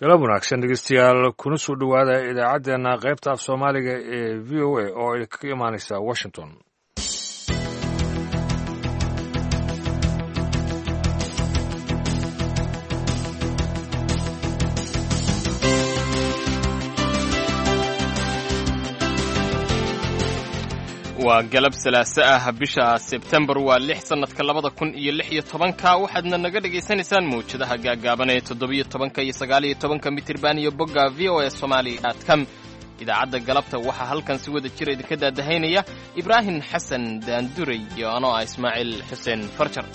Galab wanaagsan, dhegeystayaal, kuna soo dhowaada idaacaddeenna qaybta af Soomaaliga ee VOA oo ay kaga imaaneysa Washington. Waa galab salaaso ah, bisha Sebtembar waa 6, sannadka 2016-ka. Waxaadna naga dhegaysanaysaan mawjadaha gaaggaaban ee 17-ka iyo 19-ka mitirban iyo bogga voasomali.com. Idaacadda galabta waxaa halkan si wada jira idinka daadahaynaya Ibraahim Xasan Daanduray iyo anoo ah Ismaaciil Xuseen Farjar.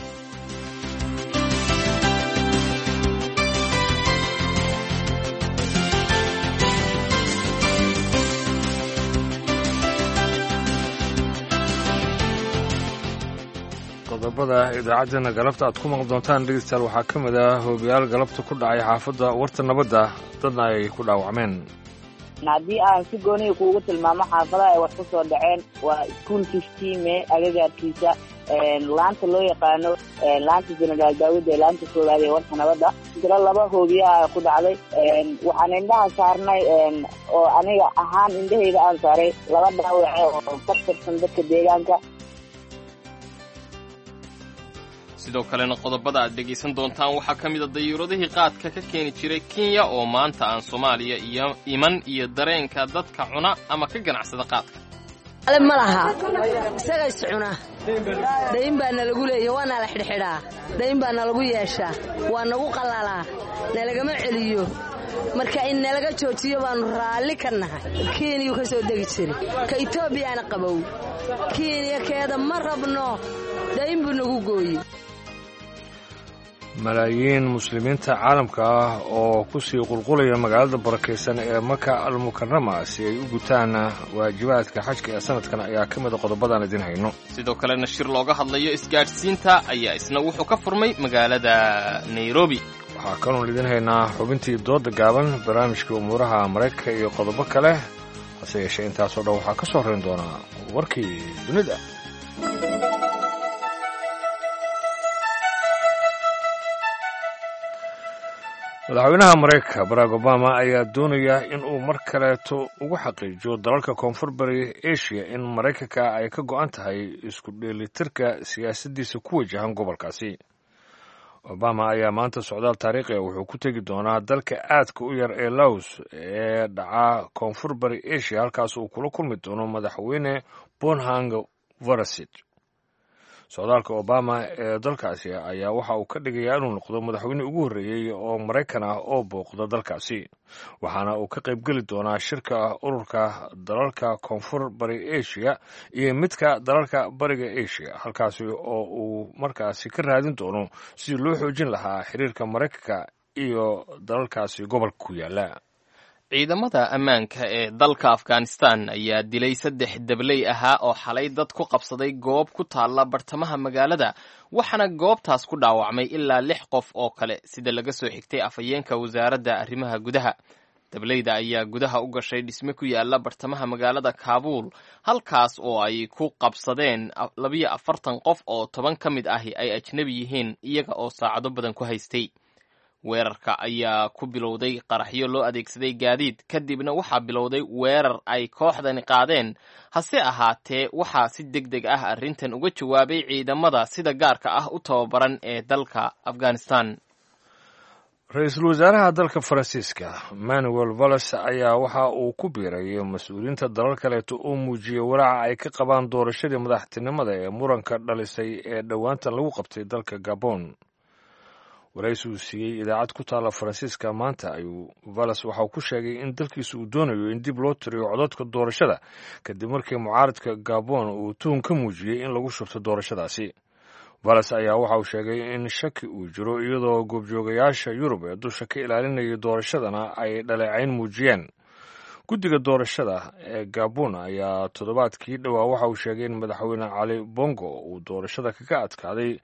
Qodobada idaacaddeenna galabta aad ku maqli doontaan, dhegeystayaal, waxaa ka mid ah hoogayaal galabta ku dhacay xaafadda Warta Nabadda, dadna ay ku dhaawacmeen. Haddii aan si gooniya kuugu tilmaamo xaafadaha ay wax ku soo dhaceen, waa iskuol Fiftime agagaarkiisa, laanta loo yaqaano laanta Jenaraal Daawud ee laanta koowaad ee Warta Nabadda. Tiro laba hoobiyaha ku dhacday. Waxaan indhaha saarnay oo aniga ahaan indhahayda aan saaray laba dhaawace oo ka tirsan dadka deegaanka. Sidoo kalena qodobada aad dhegaysan doontaan waxaa ka mid a dayuuradihii qaadka ka keeni jiray Kenya oo maanta aan Soomaaliya iyo iman, iyo dareenka dadka cuna ama ka ganacsada qaadka. Ma laha isaga is cuna. Dayn baa nalagu leeya, waa nala xidhxidhaa, dayn baa nalagu yeeshaa, waa nagu qallalaa, nalagama celiyo. Marka in nalaga joojiyo baannu raalli ka nahay. Kenyuu ka soo degi jiray, ka Etoobiyana qabow. Kenya keeda ma rabno, dayn buu nagu gooye. Malaayiin muslimiinta caalamka ah oo ku sii qulqulaya magaalada barakaysan ee Maka Almukarama si ay u gutaan waajibaadka xajka ee sanadkan ayaa ka mida qodobadaan idin hayno. Sidoo kalena shir looga hadlayo isgaadhsiinta ayaa isna wuxuu ka furmay magaalada Nairobi. Waxaa kaloon idin haynaa xubintii dooda gaaban, barnaamijkii umuuraha Maraykanka iyo qodobo kale. Hase yeeshee intaasoo dhan waxaa ka soo horrayn doonaa warkii dunida. Madaxweynaha Maraykanka Barack Obama ayaa doonaya in uu mar kaleeto ugu xaqiijiyo dalalka Koonfur Bari Asia in Maraykanka ay ka go'an tahay isku dheelitirka siyaasaddiisa ku wajahan gobolkaasi. Obama ayaa maanta socdaal taariikhi ah wuxuu ku tegi doonaa dalka aadka u yar ee Laos ee dhaca Koonfur Bari Asia, halkaas uu kula kulmi doono Madaxweyne Bonhang Varasid. Socdaalka Obama ee dalkaasi ayaa waxa uu ka dhigayaa inuu noqdo madaxweyne ugu horreeyey oo Maraykan ah oo booqda dalkaasi, waxaana uu ka qaybgeli doonaa shirka ururka dalalka Koonfur Bari Asia iyo midka dalalka Bariga Asia, halkaasi oo uu markaasi ka raadin doono sidii loo xoojin lahaa xiriirka Maraykanka iyo dalalkaasi gobolka ku yaala. Ciidamada ammaanka ee dalka Afghanistan ayaa dilay saddex dabley ahaa oo xalay dad ku qabsaday goob ku taalla bartamaha magaalada, waxaana goobtaas ku dhaawacmay ilaa lix qof oo kale, sida laga soo xigtay afhayeenka wasaaradda arrimaha gudaha. Dableyda ayaa gudaha u gashay dhisme ku yaala bartamaha magaalada Kaabuul, halkaas oo ay ku qabsadeen 42 qof oo 10 ka mid ahi ay ajnebi yihiin, iyaga oo saacado badan ku haystay. Weerarka ayaa ku bilowday qaraxyo loo adeegsaday gaadiid, kadibna waxaa bilowday weerar ay kooxdani qaadeen. Hase ahaatee waxaa si deg deg ah arrintan uga jawaabay ciidamada sida gaarka ah u tababaran ee dalka Afghanistan. Ra-iisul wasaaraha dalka Faransiiska Manuel Valles ayaa waxa uu ku biiray mas-uuliyiinta dalal kaleeto oo muujiyey walaaca ay ka qabaan doorashadii madaxtinimada ee muranka dhalisay ee dhowaantan lagu qabtay dalka Gabon. Waraysi uu siiyey idaacad ku taalla Faransiiska maanta ayuu Valles waxauu ku sheegay in dalkiisa uu doonayo in dib loo tiriyo codadka doorashada, kadib markii mucaaradka Gabon uu tuhun ka muujiyey in lagu shubto doorashadaasi. Valles ayaa waxa uu sheegay in shaki uu jiro, iyadoo goobjoogayaasha Yurub ee dusha ka ilaalinayay doorashadana ay dhaleecayn muujiyeen. Guddiga doorashada ee Gabon ayaa toddobaadkii dhowaa waxa uu sheegay in Madaxweyne Cali Bongo uu doorashada kaga adkaaday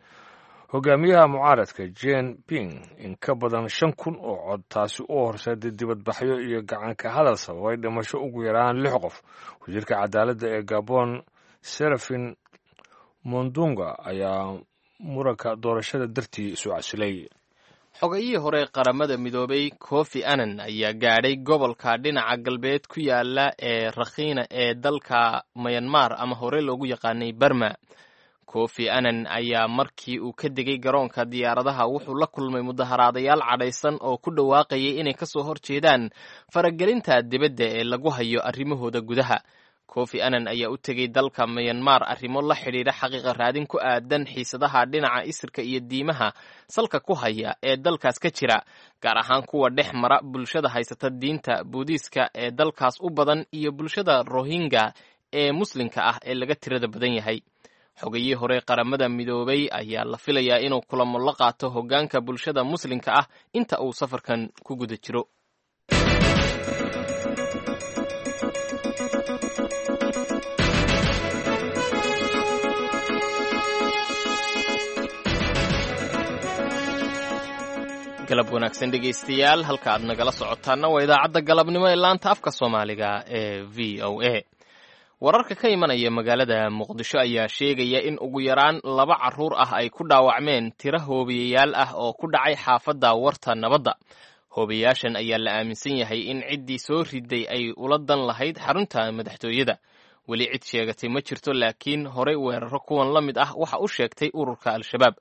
hogaamiyaha mucaaradka Jen Ping in ka badan 5000 oo cod, taasi u horseeday dibadbaxyo iyo gacanka hadal sababay dhimasho ugu yaraan lix qof. Wasiirka cadaaladda ee Gabon Serafin Mondunga ayaa muranka doorashada dartii isu casilay. Xogayihii hore Qaramada Midoobay Kofi Annan ayaa gaadhay gobolka dhinaca galbeed ku yaala ee Rakhiina ee dalka Mayanmar, ama hore loogu yaqaanay Barma. Kofi Annan ayaa markii uu ka degay garoonka diyaaradaha wuxuu la kulmay mudaharaadayaal cadhaysan oo ku dhawaaqayay inay kasoo horjeedaan faragelinta dibadda ee lagu hayo arrimahooda gudaha. Kofi Annan ayaa u tegey dalka Mayanmar arrimo la xidhiidha xaqiiqa raadin ku aadan xiisadaha dhinaca isirka iyo diimaha salka ku haya ee dalkaas ka jira, gaar ahaan kuwa dhex mara bulshada haysata diinta Buudiiska ee dalkaas u badan iyo bulshada Rohingya ee Muslimka ah ee laga tirada badan yahay. Xogayihii hore Qaramada Midoobay ayaa la filayaa inuu kulamo la qaato hoggaanka bulshada Muslimka ah inta uu safarkan ku guda jiro. Galab wanaagsan dhegaystayaal, halka aad nagala socotaana waa idaacadda galabnimo ee laanta afka Soomaaliga ee VOA. Wararka ka imanaya magaalada Muqdisho ayaa sheegaya in ugu yaraan laba carruur ah ay ku dhaawacmeen tiro hoobiyayaal ah oo ku dhacay xaafadda Warta Nabadda. Hoobiyayaashan ayaa la aaminsan yahay in ciddii soo riday ay ula dan lahayd xarunta madaxtooyada. Weli cid sheegatay ma jirto, laakiin horey weeraro kuwan la mid ah waxa u sheegtay ururka Al-Shabaab.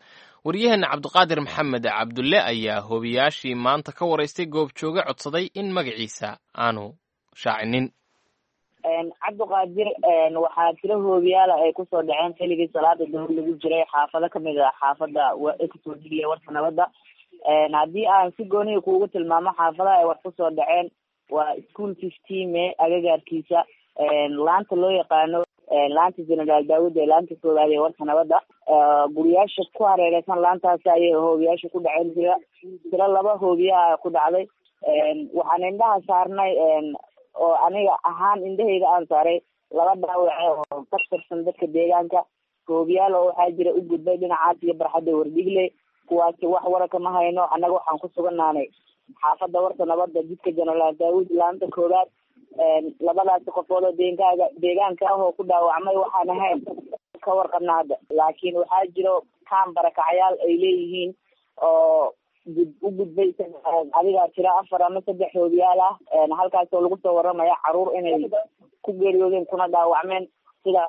Waryaheena Cabdiqaadir Maxamed Cabdulle ayaa hoobiyaashii maanta ka waraystay goobjooge codsaday in magaciisa aanu shaacinin. Cabdiqaadir, waxaa tiro hoobiyaala ay kusoo dhaceen xilligii salaada duhur lagu jiray xaafado kamid ah xaafada kasoo degiya Warta Nabadda. Haddii aan si gooniya kuugu tilmaamo xaafadaha ay wax kusoo dhaceen, waa School 15 May agagaarkiisa, laanta loo yaqaano laanta Generaal Daawud ee laanta koowaad ee Warta Nabadda. Guriyaasha ku hareereysan laantaasi ayay hoobiyaasha ku dhaceen. Tiro laba hoobiyaha ku dhacday. Waxaan indhaha saarnay oo aniga ahaan indhahayda aan saaray laba dhaawace oo ka tirsan dadka deegaanka. Hoobiyaal oo waxaa jira u gudbay dhinacaas iyo barxadda Wardhigle, kuwaasi wax wararka ma hayno. Annaga waxaan ku suganaanay xaafadda Warta Nabadda, jidka Generaal Daawud, laanta koowaad. Labadaasi qofood oo deegaaga deegaanka ah oo ku dhaawacmay waxaan ahayn ka warqabna hadda, laakiin waxaa jiro kaan barakacyaal ay leeyihiin oo u gudbay adiga tiro afar ama saddex hoobiyaal ah, halkaas oo lagu soo waramaya caruur inay ku geeriyoodeen kuna dhaawacmeen, sida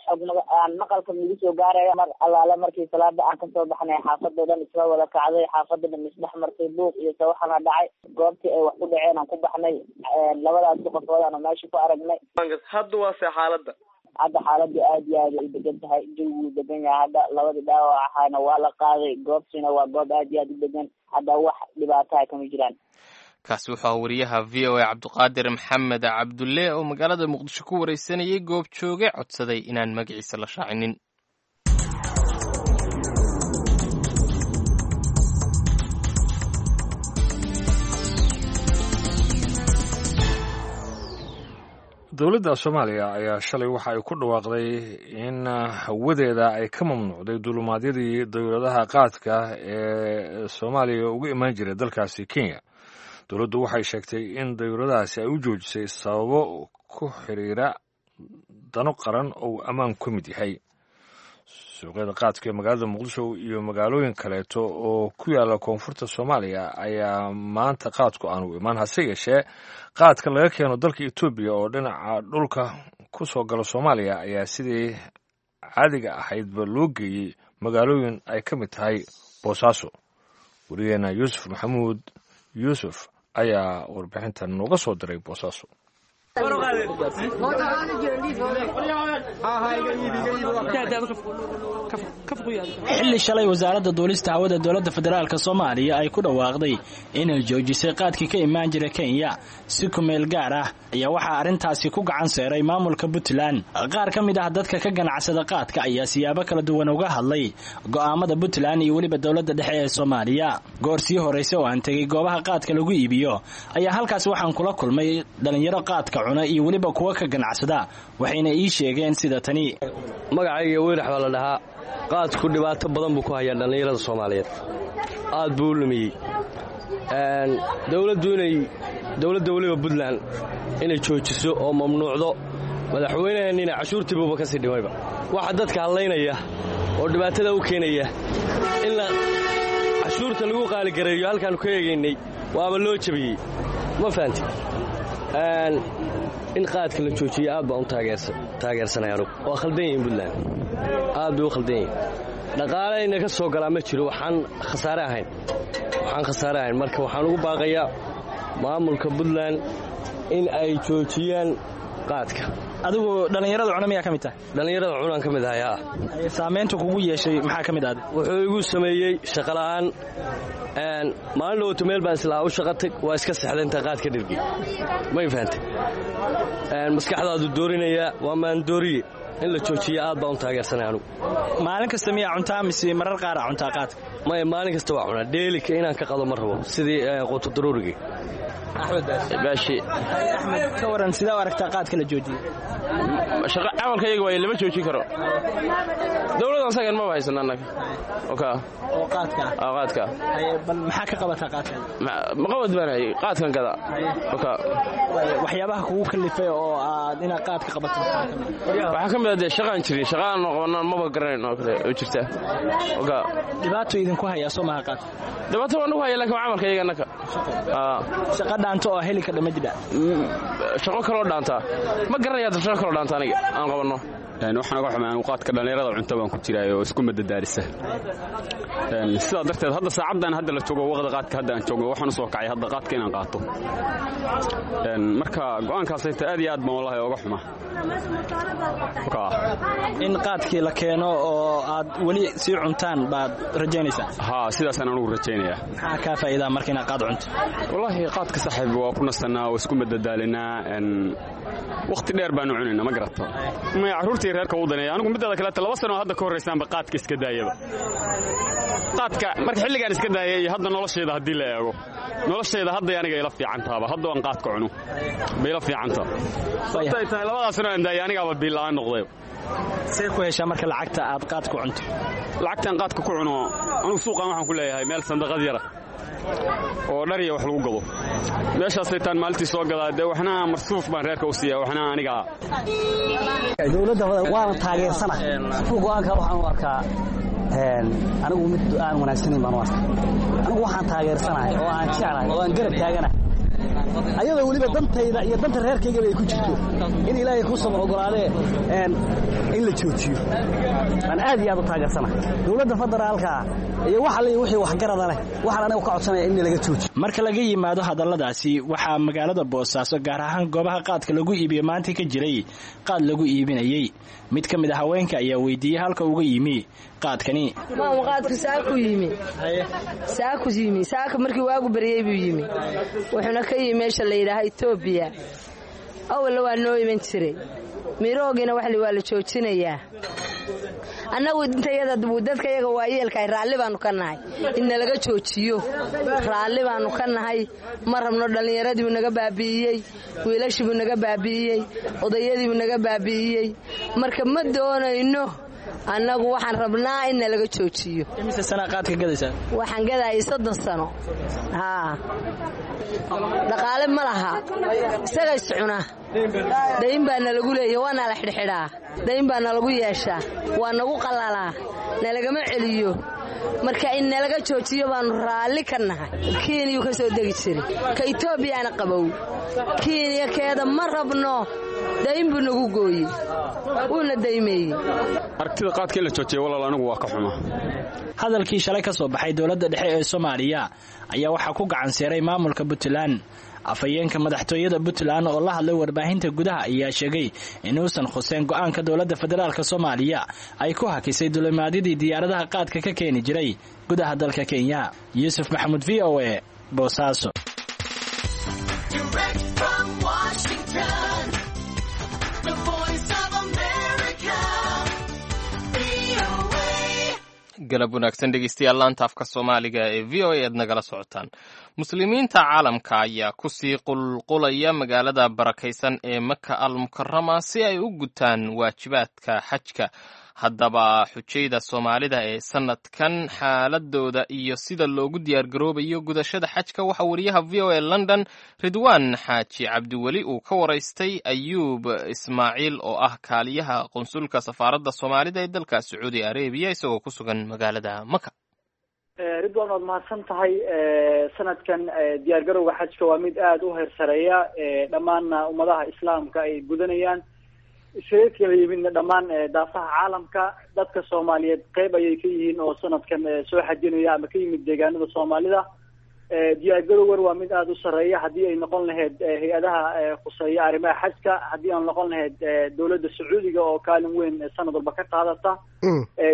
xog aan maqalka nagu soo gaaraya. Mar allaale markii salaada aan kasoo baxnay, xaafadoo dhan isla wada kacday, xaafada dhan isdhex martay, buuq iyo sawaxana dhacay. Goobtii ay wax ku dhaceen aan ku baxnay, labadaasi qofood aanu meesha ku aragnay. Hadda waa see xaaladda? Hadda xaaladdu aad iyo aad ay u degan tahay, jawigu degan yahay. Hadda labadii dhaawac ahaana waa la qaaday, goobtiina waa goob aad iyo aad u degan, hadda wax dhibaataha kama jiraan. Kaasi wuxuu ahaa wariyaha VOA Cabdiqaadir Maxamed Cabdulle oo magaalada Muqdisho ku wareysanayay goobjooge codsaday inaan magaciisa la shaacinin. Dowladda Soomaaliya ayaa shalay waxa ay ku dhawaaqday in hawadeeda ay ka mamnuucday duulumaadyadii dowladaha qaadka ee Soomaaliya uga imaan jiray dalkaasi Kenya. Dowladdu waxay sheegtay in dowladahaasi ay u joojisay sababo ku xiriira dano qaran oo uu ammaan ku mid yahay. Suuqyada qaadka ee magaalada Muqdisho iyo magaalooyin kaleeto oo ku yaala koonfurta Soomaaliya ayaa maanta qaadku aanu imaan, hase yeeshee qaadka laga keeno dalka Etoobiya oo dhinaca dhulka ku soo gala Soomaaliya ayaa sidii caadiga ahaydba loo geeyey magaalooyin ay ka mid tahay Boosaaso. Wariyaheena Yuusuf Maxamuud Yuusuf ayaa warbixintan nooga soo diray Boosaaso. Xilli shalay wasaaradda duulista hawada dowladda federaalk Soomaaliya ay ku dhawaaqday inay joojisay qaadkii ka imaan jira Kenya si kumeel gaar ah, ayaa waxaa arrintaasi ku gacan seeray maamulka Puntland. Qaar ka mid ah dadka ka ganacsada qaadka ayaa siyaabo kala duwan uga hadlay go'aamada Puntland iyo weliba dowladda dhexe ee Soomaaliya. Goor sii horraysa oo aan tegey goobaha qaadka lagu iibiyo ayaa halkaasi waxaan kula kulmay dhalinyaro qaadka cuna iyo weliba kuwa ka ganacsada, waxayna ii sheegeen sida tani. Magacayga Weyrax baa la dhahaa. Qaadku dhibaato badan buu ku hayaa dhallinyarada Soomaaliyeed, aad buu u lumiyey. Dowladdu inay dowladda weliba Puntland inay joojiso oo mamnuucdo, madaxweynaheenniina cashuurtiibuuba ka sii dhimayba. Waxa dadka hadlaynaya oo dhibaatada u keenaya in la Cashuurta lagu qaaligareeyo halkaannu ka eegaynay waaba loo jabiyey, ma fahanti? In qaadka la joojiyo aad baan u taageersanay anugu. Waa khaldan yihiin Puntland, aad bay u khaldan yihiin. Dhaqaalayna ka soo galaa ma jiro, waxaan khasaare ahayn, waxaan khasaare ahayn. Marka waxaan ugu baaqayaa maamulka Puntland in ay joojiyaan qaadka. Adigu dhallinyarada cuna miyaa ka mid tahay? Dhallinyarada cunaan ka mid ahay, haa. Saamaynta kugu yeeshay maxaa ka mid ahday? Wuxuu igu sameeyey shaqola'aan. Maalin dhowto meel baan islahaa u shaqatag, waa iska sexday intaa qaadka dhirgay, may fahantay? Maskaxdaadu doorinayaa, waa maandooriye. In la joojiya aad baan u taageersanay anugu. Maalin kasta miyaa cuntaa mise marar qaara cuntaa qaadka? Maya, maalin kasta waa cunaa. Dheelika inaan ka qado ma rabo, sidii quutudaruurigii. Baashi. Axmed, ka waran, sidaa u aragtaa qaadka la joojiyey? Shaqa camalka iyaga waaye, lama joojin karo. Dowladdan sagan maba haysan annaga. Oka. Oo qaadka ah? Qaadka. Bal maxaa ka qabataa qaadka? Maqabad baan hayay, qaadkan gada. Oka. Waxyaabaha kugu kalifay oo aad inaad qaadka qabato? Waxaa ka mid ah dee shaqaan jirin, shaqaan qabanaan maba garanayn oo kale oo jirta. Oka. Dhibaato idinku hayaa soo maha qaadka? Dhibaato waa nagu haya, laakiin waa camalka iyaga annaga. Shaqa dhaanto oo heli kardha ma jidha? Shaqo kaloo dhaantaa ma garanaya, hadda shaqo kaloo dhaanta aniga aan qabanno. Waxaan uga xumay anigu qaadka dhallinyarada cunto baan ku jiraayo oo isku madadaalisa. Sidaa darteed hadda saacaddan hadda la joogo, waqda qaadka hadda aan joogo, waxaan u soo kacay hadda qaadka inaan qaato. Marka go'aankaasayta aad iyo aad baan wallahi oga xuma. In qaadkii la keeno oo aad weli sii cuntaan baad rajaynaysaa? Haa, sidaasaan anugu rajaynayaa. Maxaa kaa faa'iidaa marka inaad qaad cunto? Wallaahi qaadka saaxiib waa ku nasannaa oo isku madadaalinaa, wakhti dheer baanu cunaynaa, ma garato? Maya, carruurtii reerka u daneeya anigu. Midada kaleeta 2 sano hadda ka horraysaanba qaadka iska daayaba. Qaadka marka xilligaan iska daayay iyo hadda noloshayda haddii la eego, noloshayda hadday aniga ila fiicantaaba. Hadda aan qaadka cuno bay ila fiicantaa. Sababtay tahay labadaas sano aan daayay anigaaba biilla'aan noqday. See ku heshaa marka lacagta aad qaadka cunto? Lacagtaan qaadka ku cuno anugu suuqaan waxaan ku leeyahay meel sandaqad yara oo dhariya wax lagu gado. Meeshaasay taan maalintii soo gadaa dee, waxna marsuuf baan reerka u siiya, waxna aniga. Dowladda waana taageersana go'aanka. Waxaan u arkaa anigu mid aan wanaagsanayn baan u arkaa. Anigu waxaan taageersanahay oo aan jeclahay oo aan garab taaganahay, ayadoo weliba dantayda iyo danta reerkaygaba ay ku jirto, in Ilaahay ku sama ogolaadee in la joojiyo aan aad iyo aad u taageersanahay. Dowladda federaalka iyo wax alle wixii waxgarada leh waxaan anigu ka codsanaya in laga joojiyo. Marka laga yimaado hadalladaasi, waxaa magaalada Boosaaso, gaar ahaan goobaha qaadka lagu iibiyo, maanta ka jiray qaad lagu iibinayey. Mid ka mid a haweenka ayaa weydiiyey halka uga yimi qaadkani. Maama, qaadku saaku yimi, saaku yimi, saaka markii waagu baryey buu yimi. Wuxuuna ka yimi meesha la yidhaaha Etoobiya. Awalna waa noo iman jiray. Miroogiina waxli waa la joojinayaa. Annagu intayada dadka yaga waayeelkahay raalli baanu ka nahay in nalaga joojiyo, raalli baanu ka nahay. Ma rabno. Dhallinyaradiibuu naga baabi'iyey, wiilashiibuu naga baabi'iyey, odayadiibuu naga baabi'iyey. Marka ma doonayno annagu, waxaan rabnaa in nalaga joojiyo. Imise sanaa qaadka gadaysaa? Waxaan gadayay 30 sano. Haa, dhaqaale ma laha, isaga iscuna. Dayn baa nalagu leeya, waa nala xidhxidhaa, dayn baa nalagu yeeshaa, waa nagu qalalaa, nalagama celiyo. Marka in nalaga joojiyo baanu raalli ka nahay. Kenya ka soo degi jiray, ka Etoobiyana qabow. Kenya keeda ma rabno, dayn buu nagu gooyey, wuuna daymeeyey. Aragtida qaadka in la joojiya, walaal, anigu waa ka xuma. Hadalkii shalay ka soo baxay dowladda dhexe ee Soomaaliya ayaa waxaa ku gacan seeray maamulka Puntland. Afhayeenka madaxtooyada Puntland oo la hadlay warbaahinta gudaha ayaa sheegay inuusan khuseen go'aanka dowladda federaalk Soomaaliya ay ku hakisay dulimaadyadii diyaaradaha qaadka ka keeni jiray gudaha dalka Kenya. Yuusuf Maxamuud, VOA, Boosaaso. Direct from Washington, the voice of America, VOA. Galab wanaagsan dhegeystayaal, laanta afka Soomaaliga ee VOA aad nagala socotaan. Muslimiinta caalamka ayaa kusii qulqulaya magaalada barakaysan ee Maka al Mukarama si ay u gutaan waajibaadka xajka. Haddaba xujayda Soomaalida ee sanadkan xaaladooda iyo sida loogu diyaargaroobayo gudashada xajka waxaa wariyaha VOA London Ridwaan Xaaji Cabdiweli uu ka waraystay Ayuub Ismaaciil oo ah kaaliyaha qunsulka safaaradda Soomaalida ee dalka Sacuudi Arabiya, isagoo ku sugan magaalada Maka. Ridwan, waad mahadsan tahay. Sanadkan diyaargarowga xajka waa mid aada u heersareeya, dhammaanna ummadaha islaamka ay gudanayaan, isaga kala yimidna dhammaan daafaha caalamka. Dadka Soomaaliyeed qeyb ayay ka yihiin oo sanadkan soo xajinaya ama ka yimid deegaanada Soomaalida. Diyaargarowgan waa mid aada u sarreeya, haddii ay noqon lahayd hay-adaha khuseeya arrimaha xajka, haddii aan noqon lahayd dowladda Sacuudiga oo kaalin weyn sanad walba ka qaadata.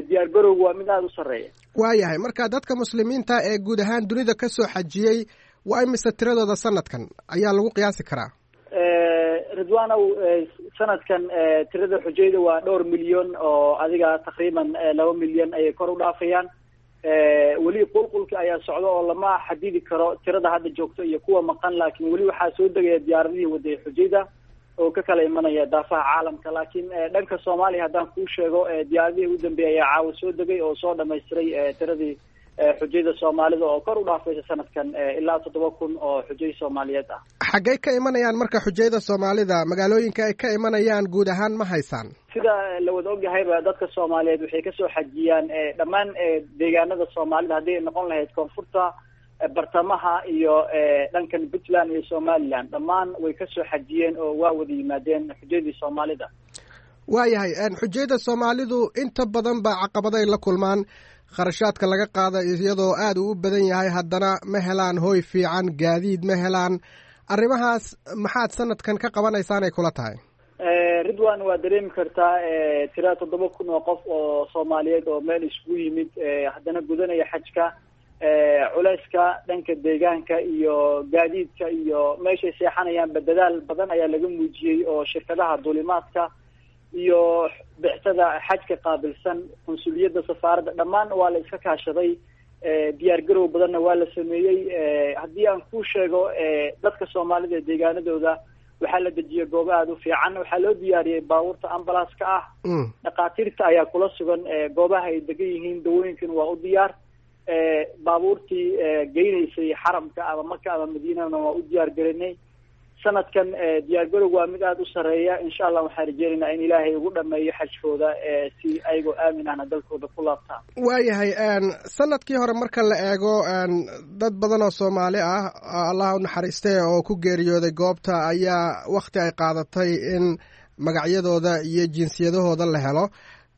Diyaargarowgu waa mid aada u sarreeya. Waayahay, marka dadka muslimiinta ee guud ahaan dunida ka soo xajiyey waa imise tiradooda sanadkan ayaa lagu qiyaasi karaa? Ridwanow, sanadkan tirada xujayda waa dhowr milyan oo adiga taqriiban 2 milyan ayay kor u dhaafayaan. Weli qulqulka ayaa socda oo lama xadidi karo tirada hadda joogto iyo kuwa maqan, laakiin weli waxaa soo degaya diyaaradihii waday xujayda oo ka kala imanaya daafaha caalamka. Laakiin dhanka Soomaaliya haddaan kuu sheego, diyaaradihii ugu dambeeyay ayaa caawa soo degay oo soo dhamaystiray tiradii xujayda Soomaalida oo kor u dhaafaysa sanadkan ilaa 7000 oo xujay Soomaaliyeed ah. Xaggay ka imanayaan marka xujayda Soomaalida? Magaalooyinka ay ka imanayaan guud ahaan ma haysaan? Sida la wada ogyahayba, dadka Soomaaliyeed waxay kasoo xajiyaan dhammaan deegaanada Soomaalida, haddii ay noqon lahayd koonfurta, bartamaha iyo dhankan Puntland iyo Somaliland. Dhammaan way kasoo xajiyeen oo waa wada yimaadeen xujaydii Soomaalida. Waayahay, xujayda Soomaalidu inta badan baa caqabaday la kulmaan. Kharashaadka laga qaada iyadoo aada uu u badan yahay, haddana ma helaan hoy fiican, gaadiid ma helaan. Arrimahaas maxaad sanadkan ka qabanaysaan ay kula tahay? Ridwan, waa dareemi kartaa tira 7000 oo qof oo Soomaaliyeed oo meel isugu yimid, haddana gudanaya xajka, culeyska dhanka deegaanka iyo gaadiidka iyo meeshay seexanayaanba dadaal badan ayaa laga muujiyey oo shirkadaha duulimaadka iyo bixtada xajka qaabilsan, qunsuliyadda safaaradda, dhammaan waa la iska kaashaday. Diyaar garow badanna waa la sameeyey. Haddii aan kuu sheego, dadka Soomaalida ee deegaanadooda waxaa la dejiyey goobo aada u fiican, waxaa loo diyaariyey baabuurta ambalaaska ah, dhakhaatiirta ayaa kula sugan goobaha ay degan yihiin, dawooyinkana waa u diyaar. Baabuurtii geynaysay xaramka ama Maka ama Madiinana waa u diyaar garinay. Sanadkan diyaargarowg waa mid aada u sarreeya. Insha Allah waxaan rajeynaynaa in Ilaahay ugu dhameeyo xajkooda si ayagoo aamin ahna dalkooda ku laabtaan. Waayahay, sanadkii hore marka la eego, dad badan oo Soomaali ah, Allah u naxariistee, oo ku geeriyooday goobta ayaa wakhti ay qaadatay in magacyadooda iyo jinsiyadahooda la helo.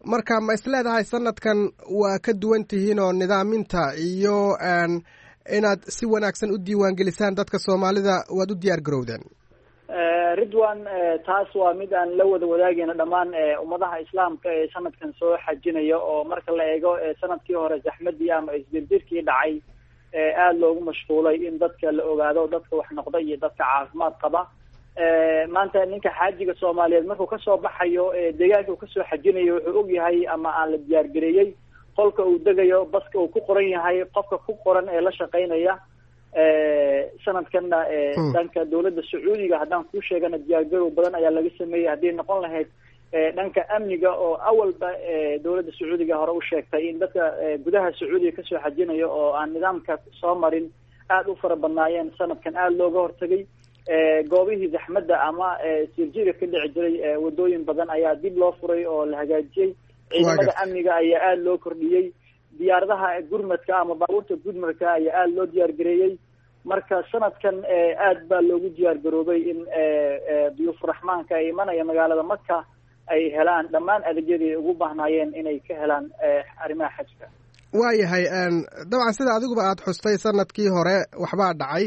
Marka ma isleedahay sanadkan waa ka duwan tihiin oo nidaaminta iyo inaad si wanaagsan u diiwaangelisaan dadka Soomaalida waad u diyaar garowdeen? Ridwan, taas waa mid aan la wada wadaagayna dhammaan ummadaha islaamka ee sanadkan soo xajinaya, oo marka la eego sanadkii hore zaxmadii ama isdirdirkii dhacay aada loogu mashquulay in dadka la ogaado dadka wax noqda iyo dadka caafimaad qaba. Maanta ninka xaajiga Soomaaliyeed markuu kasoo baxayo deegaanka uu kasoo xajinayo, wuxuu ogyahay ama aan la diyaargareeyey qolka uu degayo, baska uu ku qoran yahay, qofka ku qoran ee la shaqaynaya. Sanadkanna dhanka dowladda Sacuudiga haddaan kuu sheegana, diyaargarow badan ayaa laga sameeyey, hadday noqon lahayd dhanka amniga oo awalba dowladda Sacuudiga hore u sheegtay in dadka gudaha Sacuudiga kasoo xajinayo oo aan nidaamka soo marin aada u fara badnaayeen. Sanadkan aada looga hortagay goobihii zaxmadda ama sirjiga ka dhici jiray. Wadooyin badan ayaa dib loo furay oo la hagaajiyey, ciidamada amniga ayaa aada loo kordhiyey, diyaaradaha gurmadka ama baabuurta gurmadka ayaa aada loo diyaargareeyey. Marka sanadkan aad baa loogu diyaargaroobay in duyuufuraxmaanka ay imanaya magaalada Maka ay helaan dhammaan adeegyadii ay ugu baahnaayeen inay ka helaan arrimaha xajka. Waayahay, dabcan sida adiguba aada xustay, sanadkii hore waxbaa dhacay.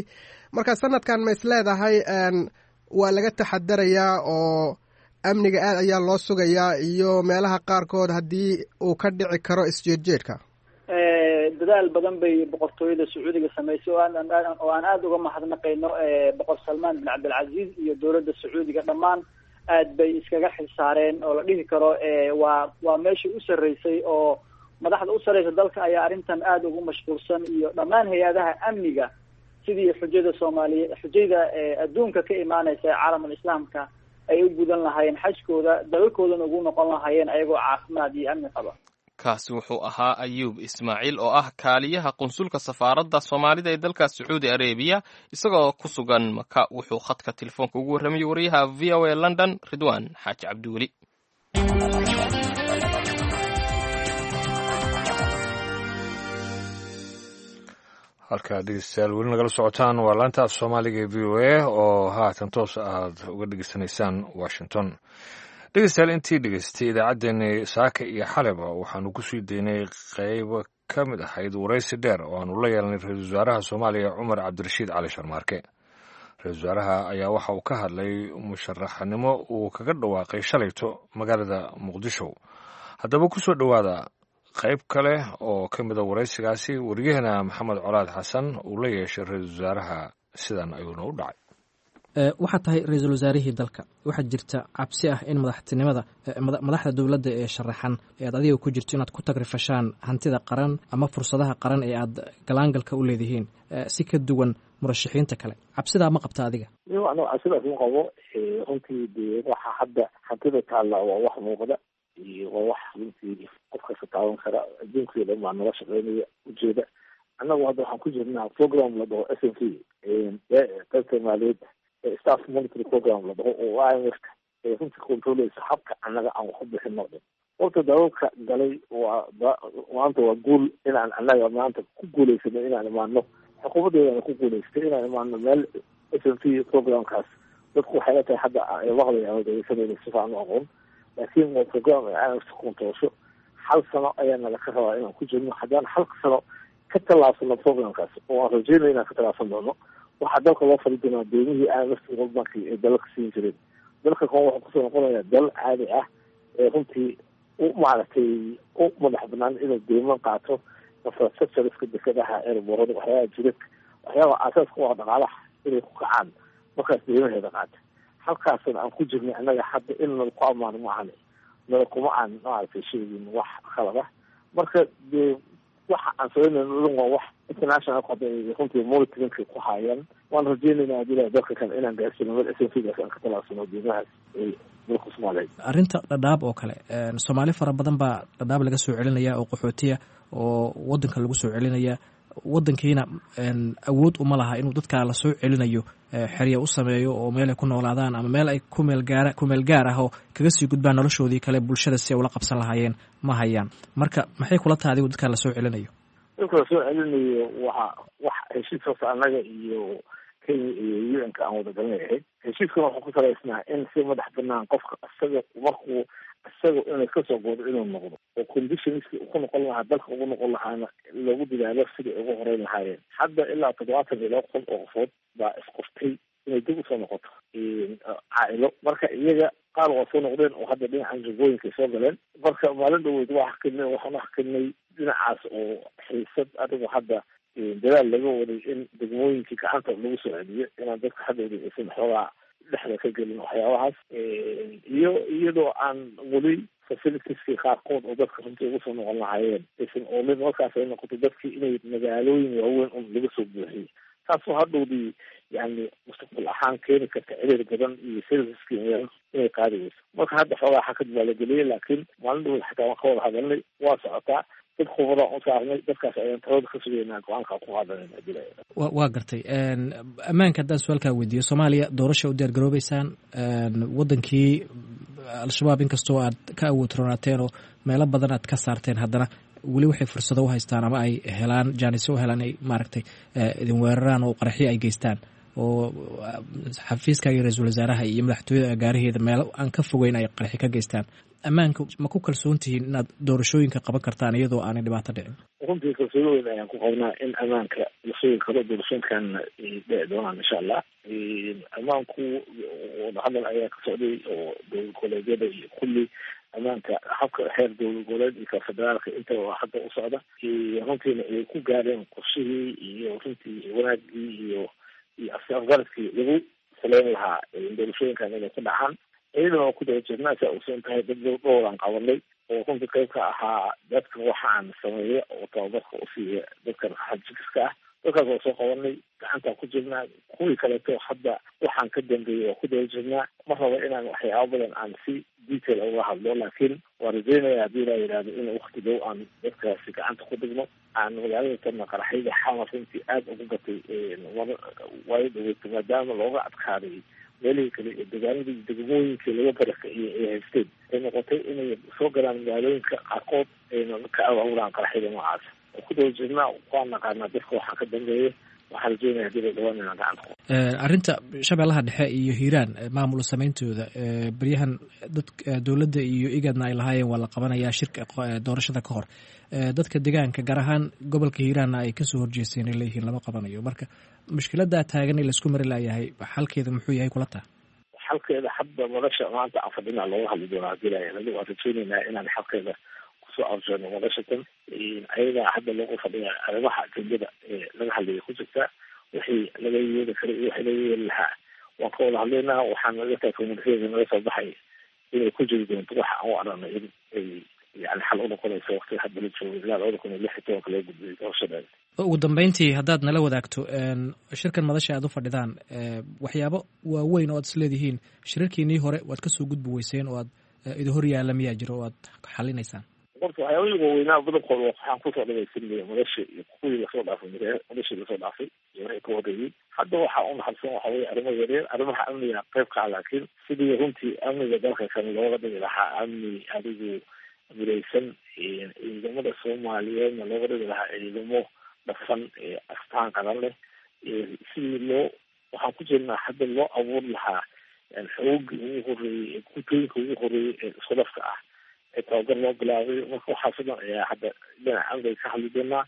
Marka sanadkan ma is leedahay waa laga taxadarayaa oo amniga aad ayaa loo sugayaa iyo meelaha qaarkood haddii uu ka dhici karo isjeedjeedka? Dadaal badan bay boqortooyada Sacuudiga samaysay oo aan aada uga mahadnaqayno. Boqor Salmaan bin Cabdilcaziz iyo dowladda Sacuudiga dhammaan aad bay iskaga xilsaareen oo la dhihi karo waa meeshii u sarreysay oo madaxda u sarreysa dalka ayaa arrintan aada ugu mashquulsan iyo dhammaan hay-adaha amniga, sidii xujada Soomaaliye, xujayda adduunka ka imaanaysa ee caalamul islaamka ay u gudan lahaayeen xajkooda, dalalkoodana ugu noqon lahaayeen ayagoo caafimaad iyo amni qaba. Kaasi wuxuu ahaa Ayuub Ismaaciil oo ah kaaliyaha qunsulka safaaradda Soomaalida ee dalka Sacuudi Arebiya. Isagoo ku sugan Maka wuxuu khadka telefoonka ugu warramayay wariyaha VOA London, Ridwaan Xaaji Cabdiweli. Halkaa dhegeystayaal weli nagala socotaan waa laanta af Soomaaliga ee VOA oo haatan toos aad uga dhegeysanaysaan Washington. Dhegeystayaal, intii dhegeystay idaacaddeenii saaka iyo xaleba waxaanu kusii daynay qeyb ka mid ahayd waraysi dheer oo aanu la yeelanay ra-iisul wasaaraha Soomaaliya Cumar Cabdirashiid Cali Sharmaarke. Ra-isul wasaaraha ayaa waxa uu ka hadlay musharaxnimo uu kaga dhawaaqay shalayto magaalada Muqdisho. Haddaba kusoo dhowaada qayb kale oo ka mida waraysigaasi wariyahena Maxamed Colaad Xasan uu la yeeshay ra-iisul wasaaraha. Sidan ayuuna u dhacay. Waxaad tahay ra-iisul wasaarihii dalka. Waxaa jirta cabsi ah in madaxtinimada madaxda dowladda ee sharaxan ee aad adiga ku jirto inaad ku tagrifashaan hantida qaran ama fursadaha qaran ee aad galaangalka u leedihiin si ka duwan murashaxiinta kale. Cabsidaa ma qabta adiga? Anigu cabsidaas ma qabo runtii. Dee waxa hadda hantida taalla waa wax muuqda iyo waa wax runtii qof kasta taaban kara. Adduunkii dhan baa nala shaqeynaya ujeeda. Annagu hadda waxaan ku jirnaa program la dhaho SMP, qaybta maaliyadda, staff monitory program la dhaho oo IMF ee runtii controleysa habka annaga aan wax u bixino dhan. Horta dalalka galay waa maanta waa guul inaan annaga maanta ku guuleysano inaan imaano, xukuumaddeedana ku guuleystay inaan imaano meel SMP programkaas. Dadku waxay la tahay hadda ay maqlayaan oo dhegeysanayna si fiican u aqoon, laakiin waa program ay IMF controlsho. Hal sano ayaa nala ka rabaa inaan ku jirno. Haddaan hal sano ka tallaabsano programkaas, oo aan rajeynaya inaan ka tallaabsan doono, waxaa dalka loo fali doonaa deymihii IMF World Bank ee dalalka siin jireen. Dalka kan wuxuu kusoo noqonayaa dal caadi ah ee runtii u maaragtay u madax banaan inuu deyman qaato, infrastructureska, dekadaha, airborada, waxyaabaha jidadka, waxyaabaha aasaaska u ah dhaqaalaha inay ku kacaan markaas deymaheeda qaata. Halkaasna aan ku jirnay annaga hadda in nala ku ammaano maahane nala kuma aan maaragtay sheegin wax khalad ah. Marka dee waxa aan sameynayno dhan waa wax international hadda ay runtii monitoringka ku haayaan. Waan rajeynaynaa hadii ilahay dalka kan inaan gaarsino meel SMP-gaas aan ka talaabsano deymahaas ee dalka Soomaaliyeed. Arrinta Dhadhaab oo kale, Soomaali fara badan baa Dhadhaab laga soo celinaya oo qaxootiya oo wadanka lagu soo celinaya. Wadankiina awood uma laha inuu dadkaa lasoo celinayo xerya u sameeyo oo meel ay ku noolaadaan ama meel ay kumeelgaara kumeel gaar ah oo kaga sii gudbaan noloshoodii kale bulshada si ay ula qabsan lahaayeen ma hayaan. Marka maxay kula tahay adigu dadkaa lasoo celinayo? Dadka lasoo celinayo waxa wax heshiis horta annaga iyo Kenya iyo UN-ka aan wada galanay ahayd. Heshiiskana wuxuu ku salaysnaa in si madax banaan qofka isaga markuu isaga inay kasoo goodo inuu noqdo oo conditionski ku noqon lahaa dalka ugu noqon lahaana lagu dadaalo sidai ugu horeyn lahaayeen. Hadda ilaa 72 kun oo qofood baa isqoftay inay dib usoo noqoto caailo. Marka iyaga qaar waa soo noqdeen oo hadda dhinacan jubooyinkay soo galeen. Marka maalin dhaweyd waa xakinay, waxaan uxakinay dhinacaas oo xiisad adigu hadda dadaal laga waday in degmooyinkii gacanta lagu soo celiyo, inaan dadka hadhowda aysan xoogaa dhexda ka gelin waxyaabahaas, iyo iyadoo aan weli facilitieski qaarkood oo dadka runtii ugu soo noqon lahaayeen aysan oolin. Markaas ay noqoto dadkii inay magaalooyin waaweyn un laga soo buuxiyo, taasoo hadhowdii yani mustaqbal ahaan keeni karta ciriir badan iyo serviceski magaalada inay qaadi weyso. Marka hadda xoogaa xakad baa la geliyay, laakiin maalin dhaweyd xataa waan ka wada hadalnay, waa socotaa. Dad khubadaan u saarnay dadkaas ayaan talada ka sugaynaa, go-aankaa ku qaadanayna. Waa gartay. Ammaanka haddaan su-aalkaa weydiiyo, Soomaaliya doorasha u diyaar garoobeysaan. Wadankii Al-Shabaab inkastoo aad ka awood roonaateen oo meelo badan aad ka saarteen, haddana weli waxay fursado u haystaan ama ay helaan jaanisyo u helaan ay maaragtay idin weeraraan oo qaraxyo ay geystaan oo xafiiska iyo ra-iisul wasaaraha iyo madaxtooyada agaaraheeda meelo aan ka fogeyn ay qaraxyo ka geystaan. Ammaanka ma ku kalsoon tihiin inaad doorashooyinka qaban kartaan iyadoo aanay dhibaato dhicin? Runtii kalsooni weyn ayaan ku qabnaa in ammaanka la sugi karo, doorashooyinkan ay dhici doonaan insha Allah. Ammaanku wadahadal ayaa ka socday oo dowlad goboleedyada iyo kulli ammaanka habka xeer dowlad goboleed iyo ka federaalka intaba hadda u socda. Runtiina ay ku gaareen qorshihii iyo runtii wanaagii iyo afgaradkii lagu saleyn lahaa doorashooyinkan inay ku dhacaan. Iyadana waa ku daba jirnaa. Saa ogsoon tahay, dad dhowraan qabanay oo runtii qayb ka ahaa dadka waxaan sameeya oo tababarka usiiya dadkan xajikiska ah. Dadkaas waa soo qabanay, gacantaan ku jirnaa. Kuwii kaleeto hadda waxaan ka dambeeyey waa ku daba jirnaa. Ma rabo inaan waxyaaba badan aan si detail uga hadlo, laakiin waan rajeynaya haddii laa yidhahdo in wakti dhow aan dadkaasi gacanta ku dhigno. Aan magaalada tanna qaraxyada Xamar runtii aada ugu batay waayo dhaweyto, maadaama looga adkaaday meelihii kale ee degaanadii degmooyinkii laga barakiciyey ay haysteen, ay noqotay inay soo galaan magaalooyinka qaarkood ayna ka abaabudaan qaraxyada noocaas oo ku daba jirnaa, waan naqaanaa dadka waxaa ka dambeeya. Waxaan rajeynaya hadii la dhawaan inaan gacanta ku Arrinta Shabeellaha Dhexe iyo Hiiraan, maamul sameyntooda, beryahan dad dowladda iyo IGADna ay lahaayeen waa la qabanayaa shirka doorashada ka hor, dadka deegaanka gaar ahaan gobolka Hiiraanna ay kasoo horjeesteen, ay leeyihiin lama qabanayo. Marka mushkiladaa taagan ee laisku mari laayahay, xalkeeda muxuu yahay kula taha? Xalkeeda hadda madasha maanta aan fadhinaa looga hadli doonaa hadii la yidhahdo. Waan rajeyneynaa inaan xalkeeda kusoo arjono madasha tan. Ayagaa hadda loogu fadhiya, arrimaha ajendada ee laga hadlaya ku jirtaa. Wixii laga yeeli karay iyo wixii laga yeeli lahaa waan ka wada hadlaynaa. Waxaan naga tahay communityada naga soo baxay inay ku jiri doonto waxa aan u aragnay in ay yani xal u noqonayso waqtiga hadda la joogo ilaa 2016 loo gudbiyay doorashadeeda. Ugu dambeyntii, haddaad nala wadaagto shirkan madasha aad u fadhidaan, waxyaabo waaweyn oo aad isleedihiin shirarkiinii hore waad kasoo gudbi weyseen oo aad idin hor yaalla miyaa jiro oo aad xalinaysaan? Horta waxyaabihii waaweynaa badankooda waxaan kusoo dhamaysanaya madasha iyo kuwii lasoo dhaafay, madashii lasoo dhaafay iyo wixii ka horreeyey. Hadda waxaa u naxarisan waxa weye arrimo yaryar, arrimaha amniga qayb ka ah, laakiin sidii runtii amniga dalka kan looga dhigi lahaa amni adigu midaysan, ciidamada Soomaaliyeedna looga dhigi lahaa ciidamo dhafan ee astaan qaran leh, sidii loo waxaan ku jirnaa hadda loo abuuri lahaa xoogii ugu horreeyey ee gutooyinka ugu horreeyey ee isku dhafka ah ee tababar loo bilaabay. Marka waxaas o dhan ayaa hadda dhinaca amniga ka hadli doonaa,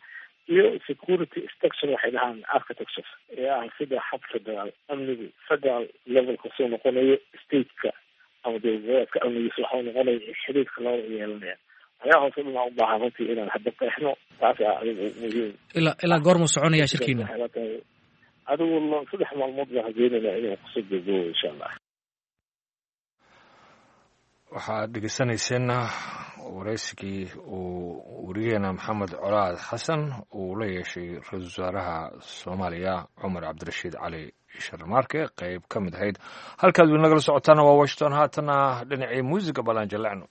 iyo security structure waxay dhahaan architecture ee ah sida hab federaal amnigu federal levelka soo noqonayo, stateka ama dowladgoboleedka amnigiisa waxau noqonaya xiriirka labada yeelanaya. Waxyaabahaas o dhan aan u baahan runtii inaan hadda qeexno, taas aa adigu muhiim. Ilaa goormuu soconaya shirkiina? Adigu 3 maalmood baan rajeynayna inuu kusoo gogoobo insha Allah. Waxaad dhegeysanayseen waraysigii uu werigeena Maxamed Colaad Xasan uu la yeeshay ra-iisul wasaaraha Soomaaliya Cumar Cabdirashiid Cali Sharmaarke, qeyb ka mid ahayd. Halkaad weli nagala socotaana waa Washington. Haatana dhinacii muusiga balaan jallecno.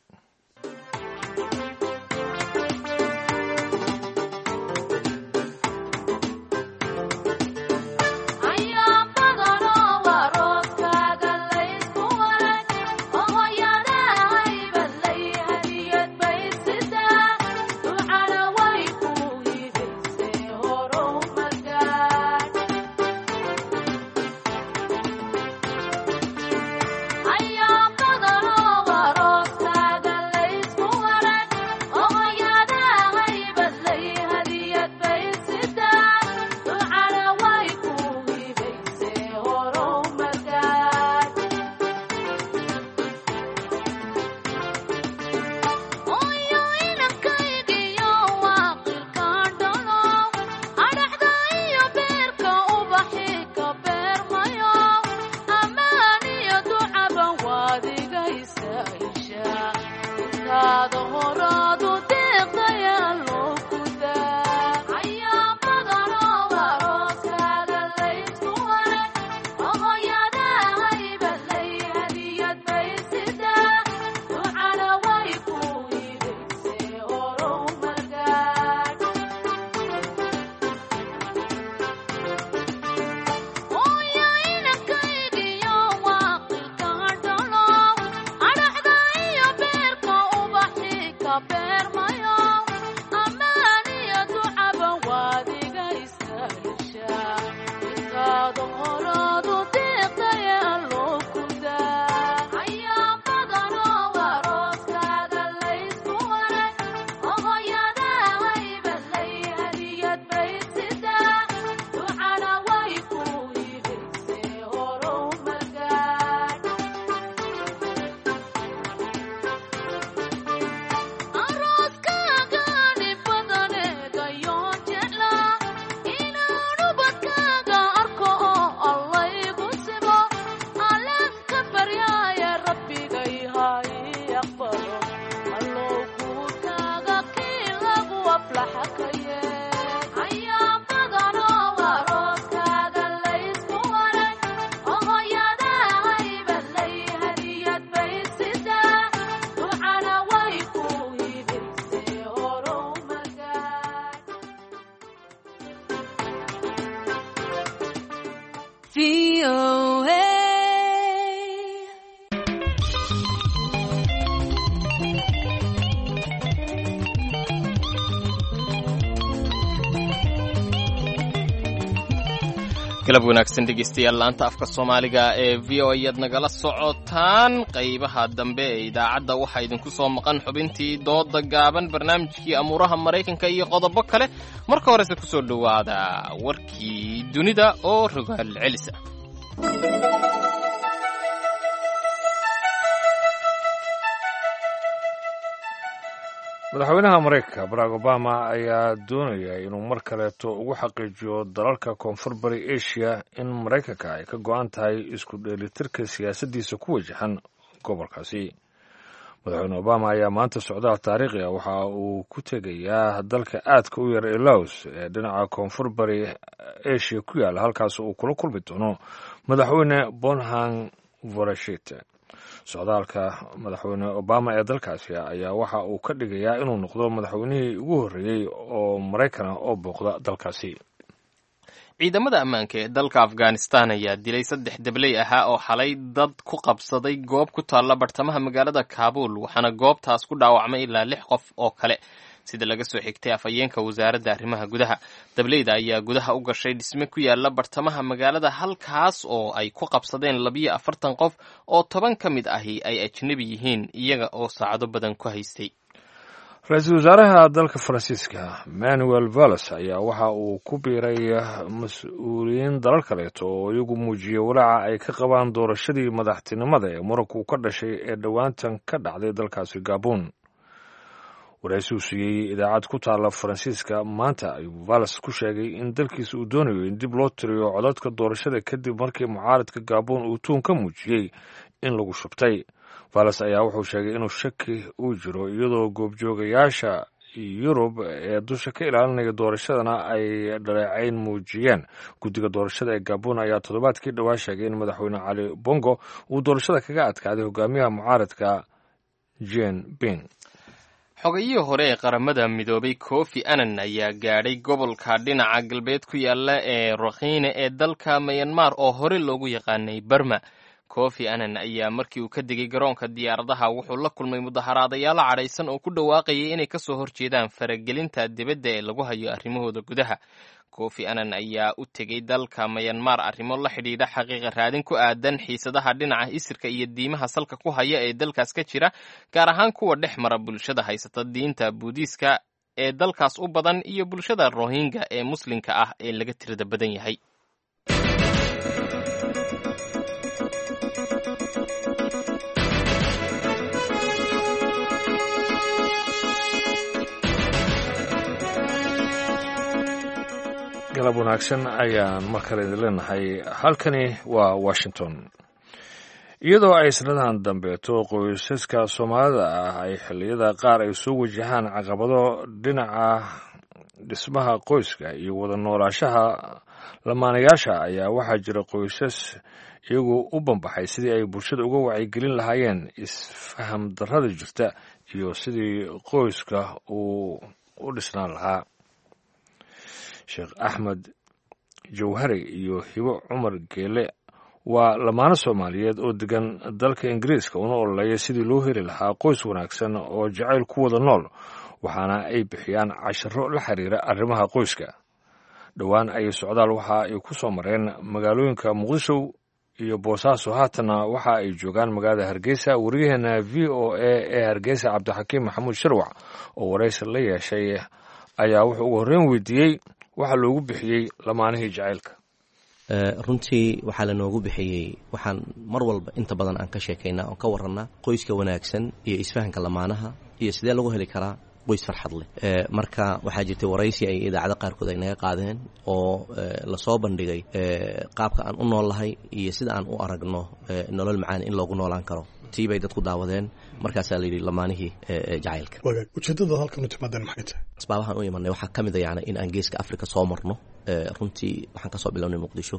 Galab wanaagsan dhegeystayaal, laanta afka Soomaaliga ee VOA ayaad nagala socotaan. Qaybaha dambe ee idaacadda waxaa idinku soo maqan xubintii dooda gaaban, barnaamijkii amuuraha Maraykanka iyo qodobo kale. Marka horese kusoo dhowaada warkii dunida oo rogaal celis ah. Madaxweynaha Maraykanka Barack Obama ayaa doonaya inuu mar kaleeto ugu xaqiijiyo dalalka Koonfur Bari Asia in Maraykanka ay ka go-an tahay isku dheelitirka siyaasaddiisa ku wajahan gobolkaasi. Madaxweyne Obama ayaa maanta socdaal taariikhi ah waxa uu ku tegayaa dalka aadka u yar ee Laos ee dhinaca Koonfur Bari Asia ku yaalla, halkaas uu kula kulmi doono Madaxweyne Bonhang Vorashit. Socdaalka Madaxweyne Obama ee dalkaasi ayaa waxa uu ka dhigayaa inuu noqdo madaxweynihii ugu horreeyey oo Maraykana oo booqda dalkaasi. Ciidamada ammaanka ee dalka Afghanistan ayaa dilay saddex dabley ahaa oo xalay dad ku qabsaday goob ku taalla bartamaha magaalada Kaabuul, waxaana goobtaas ku dhaawacmay ilaa lix qof oo kale, sida laga soo xigtay afhayeenka wasaaradda arrimaha gudaha. Dableyda ayaa gudaha u gashay dhisme ku yaala bartamaha magaalada, halkaas oo ay ku qabsadeen 42 qof oo 10 ka mid ahi ay ajnebi yihiin, iyaga oo saacado badan ku haystay. Ra-iisul wasaaraha dalka Faransiiska Manuel Valls ayaa waxa uu ku biiray mas-uuliyiin dalal kaleeto oo iyagu muujiyey walaaca ay ka qabaan doorashadii madaxtinimada ee muranku ka dhashay ee dhowaantan ka dhacday dalkaasi Gabon. Waraysi uu siiyey idaacad ku taalla Faransiiska maanta ayuu Valls ku sheegay in dalkiisa uu doonayo in dib loo tiriyo codadka doorashada kadib markii mucaaradka Gabon uu tuun ka muujiyey in lagu shubtay. Valls ayaa wuxuu sheegay inuu shaki uu jiro, iyadoo goobjoogayaasha Yurub ee dusha ka ilaalinaya doorashadana ay dhaleecayn muujiyeen. Guddiga doorashada ee Gabon ayaa toddobaadkii dhowaa sheegay in Madaxweyne Cali Bongo uu doorashada kaga adkaaday hogaamiyaha mucaaradka Jean Ping. Xogayihii hore ee Qaramada Midoobay Kofi Annan ayaa gaadhay gobolka dhinaca galbeed ku yaala ee Rakhine ee dalka Myanmar, oo hore loogu yaqaanay Barma. Kofi Annan ayaa markii uu ka degay garoonka diyaaradaha wuxuu la kulmay mudaharaadayaal cadhaysan oo ku dhawaaqayay inay kasoo horjeedaan faragelinta dibadda ee lagu hayo arrimahooda gudaha. Kofi Annan ayaa u tegey dalka Myanmar arrimo la xidhiidha xaqiiqa raadin ku aadan xiisadaha dhinaca isirka iyo diimaha salka ku haya ee dalkaas ka jira, gaar ahaan kuwa dhex mara bulshada haysata diinta Buudiiska ee dalkaas u badan iyo bulshada Rohingya ee Muslimka ah ee laga tirada badan yahay. Galab wanaagsan ayaan mar kale idin leenahay. Halkani waa Washington. Iyadoo ay sanadahan dambeeto qoysaska Soomaalida ah ay xilliyada qaar ay soo wajahaan caqabado dhinaca dhismaha qoyska iyo wada noolaashaha lamaanayaasha, ayaa waxaa jira qoysas iyagoo u banbaxay sidii ay bulshada uga wacyigelin lahaayeen isfaham darrada jirta iyo sidii qoyska uu u dhisnaan lahaa. Sheekh Axmed Jawhari iyo Hibo Cumar Geele waa lamaano Soomaaliyeed oo degan dalka Ingiriiska, una ololeeya sidii loo heli lahaa qoys wanaagsan oo jacayl ku wada nool, waxaana ay bixiyaan casharo la xiriira arrimaha qoyska. Dhowaan ayay socdaal waxa ay ku soo mareen magaalooyinka Muqdisho iyo Boosaaso, haatanna waxa ay joogaan magaalada Hargeysa. Wariyaheena VOA ee Hargeysa Cabdixakiim Maxamuud Shirwac oo waraysi la yeeshay ayaa wuxuu ugu horreyn weydiiyey waxaa loogu bixiyey lamaanihii jacaylka. Runtii waxaa lanoogu bixiyey, waxaan mar walba inta badan aan ka sheekaynaa oon ka warannaa qoyska wanaagsan iyo isfahanka lamaanaha iyo sidee lagu heli karaa qoys farxad leh. Marka waxaa jirtay waraysi ay idaacado qaarkood ay naga qaadeen oo lasoo bandhigay qaabka aan u nool lahay iyo sida aan u aragno nolol macaan in loogu noolaan karo. Tii bay dadku daawadeen, markaasaa layidhi lamaanihii jacaylka. Wagaag, ujeeddada halkan u timaadeen maxay tahay? Asbaabahan u imanay waxaa ka mid a yani in aan geeska Africa soo marno. Runtii waxaan kasoo bilownay Muqdisho,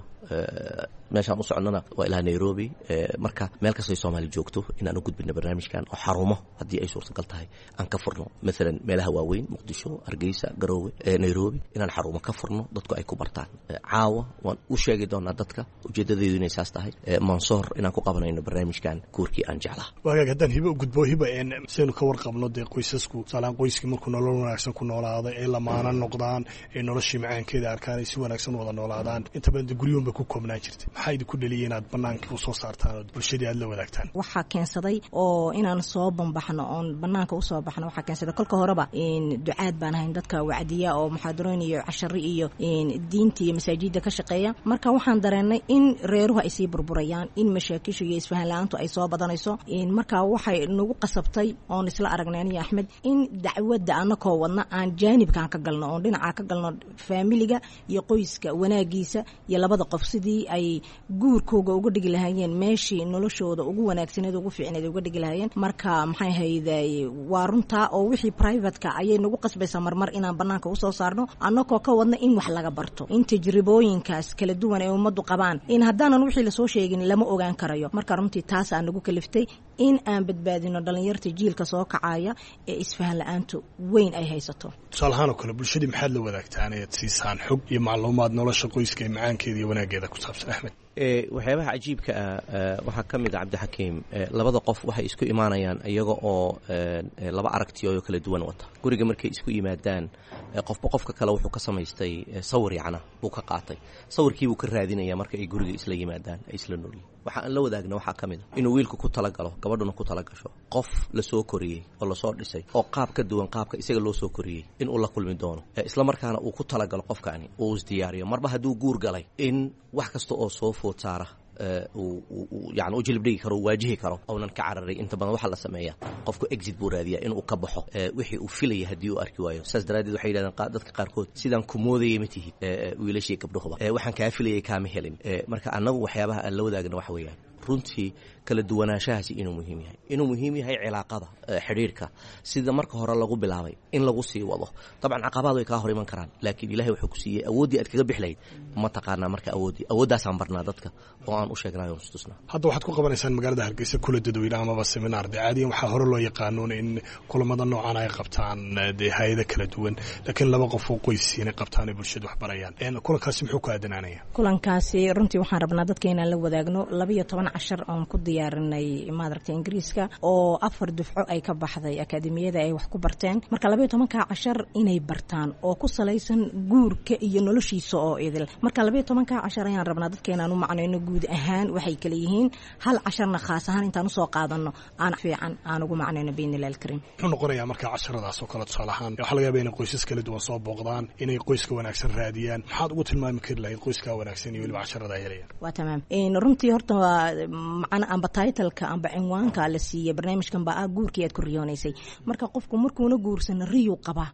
meeshaan u soconnana waa ilaa Nairobi. Marka meel kastay Soomaali joogto inaan u gudbino barnaamijkan oo xarumo haddii ay suurtagal tahay aan ka furno, maalan meelaha waaweyn, Muqdisho, Hargeysa, Garoowe, Nairobi, inaan xarumo ka furno dadku ay ku bartaan. Caawa waan u sheegi doonaa dadka ujeedadeedu inay saas tahay, Mansoor inaan ku qabanayno barnaamijkan guurkii aan jeclaa. Wagaag, haddaan Hibo u gudbo. Hiba, saynu ka warqabno dee qoysasku tusaalaan qoyskii markuu nolol wanaagsan ku noolaado ee lamaana noqdaan ee noloshii macaankeeda arkaan isfahmaan ay si wanaagsan u wada noolaadaan, inta badan dee guryuhun bay ku koobnaan jirtay. Maxaa idinku dhaliyay inaad banaanka usoo saartaan oo bulshadii aad la wadaagtaan? Waxaa keensaday oo inaan soo banbaxno oon banaanka usoo baxno, waxaa keensaday kolka horeba ducaad baan ahayn, dadka wacdiya oo muxaadarooyin iyo cashari iyo diinta iyo masaajida ka shaqeeya. Marka waxaan dareennay in reeruhu ay sii burburayaan, in mashaakishu iyo isfahan la-aantu ay soo badanayso. Marka waxay nagu qasabtay oon isla aragnay aniyo Axmed in dacwadda anakoo wadna aan jaanibkaan ka galno, oon dhinacaa ka galno faamiliga iyo qoyska wanaagiisa iyo labada qof sidii ay guurkooga uga dhigi lahaayeen meeshii noloshooda ugu wanaagsaneed, ugu fiicneed uga dhigi lahaayeen. Marka maxay hayday, waa runtaa oo wixii privateka ayay nagu qasbaysaa marmar inaan banaanka usoo saarno, annakoo ka wadna in wax laga barto, in tajribooyinkaas kala duwan ay ummaddu qabaan, in haddaanan wixii lasoo sheegin lama ogaan karayo. Marka runtii taas aa nagu kaliftay in aan badbaadino dhalinyarta jiilka soo kacaya ee isfahan la-aantu weyn ay haysato. Tusaale ahaan oo kale, bulshadii maxaad la wadaagtaan ead siisaan xog iyo macluumaad nolosha qoyska ee macaankeeda iyo wanaaggeeda ku saabsan, Axmed? Waxyaabaha cajiibka ah waxaa ka mid a, Cabdixakiim, labada qof waxay isku imaanayaan iyaga oo laba aragtiyo kala duwan wata. Guriga markay isku yimaadaan, qofba qofka kale wuxuu ka samaystay sawir, yacna buu ka qaatay, sawirkiibuu ka raadinaya. Marka ay guriga isla yimaadaan ay isla noolyihin, waxa aan la wadaagna waxaa ka mid a inuu wiilku ku talagalo, gabadhuna ku talagasho qof lasoo koriyey oo lasoo dhisay oo qaab ka duwan qaabka isaga loo soo koriyey inuu la kulmi doono, isla markaana uu ku talagalo qofkaani, uu isdiyaariyo marba hadduu guur galay in wax kasta oo soo food saara yani u jilib dhigi karo, waajihi karo, uunan ka cararay. Inta badan waxaa la sameeyaa qofku exit buu raadiyaa inuu ka baxo wixii uu filaya haddii uu arki waayo. Saas daraaddeed waxay yidhahdeen dadka qaarkood, sidaan ku moodayay ma tihid, wiilashii gabdhahuba, waxaan kaa filayay kaama helin. Marka annagu waxyaabaha aan la wadaagna waxa weeyaan runtii kala duwanaanshahaasi inuu muhiim yahay, inuu muhiim yahay cilaaqada, xidhiirka sida marka hore lagu bilaabay in lagu sii wado. Dabcan caqabaad way kaa hor iman karaan, laakiin Ilahay wuxuu ku siiyey awooddii aad kaga bixi lahayd ma taqaanaa. Marka awooddii awooddaasaan barnaa dadka oo aan u sheegnay oon istusnaa. Hadda waxaad ku qabanaysaan magaalada Hargeysa kula dadweyne amaba seminaar. Dee caadiyan waxaa hore loo yaqaanuun in kulamada noocan ay qabtaan dee hay-ado kala duwan, laakiin laba qof oo qoysiinay qabtaan ay bulshada wax barayaan. Kulankaasi muxuu ku aadanaanaya? Kulankaasi runtii waxaan rabnaa dadka inaan la wadaagno 12 cashar oon ku diyaarinay maadaragta Ingiriiska, oo afar dufco ay ka baxday akaademiyada ay wax ku barteen. Marka 12-ka cashar inay bartaan oo ku salaysan guurka iyo noloshiisa oo idil. Marka 12-ka cashar ayaan rabnaa dadka inaan u macnayno guud ahaan waxay kala yihiin, hal casharna khaas ahaan intaan usoo qaadano aan fiican aan ugu macnayno biidni illahi alkariim. Muxuu noqonayaa marka casharadaas oo kale? Tusaale ahaan waxaa laga yaaba inay qoysas kala duwan soo booqdaan, inay qoyska wanaagsan raadiyaan. Maxaad ugu tilmaami kari lahayd qoyska wanaagsan iyo weliba casharada ay helayaan? Waa tamaam. Runtii horta waa macna amba titleka amba cinwaanka la siiyey barnaamijkan baa ah guurkii aad ku riyoonaysay. Marka qofku markuuna guursana riyuu qabaa,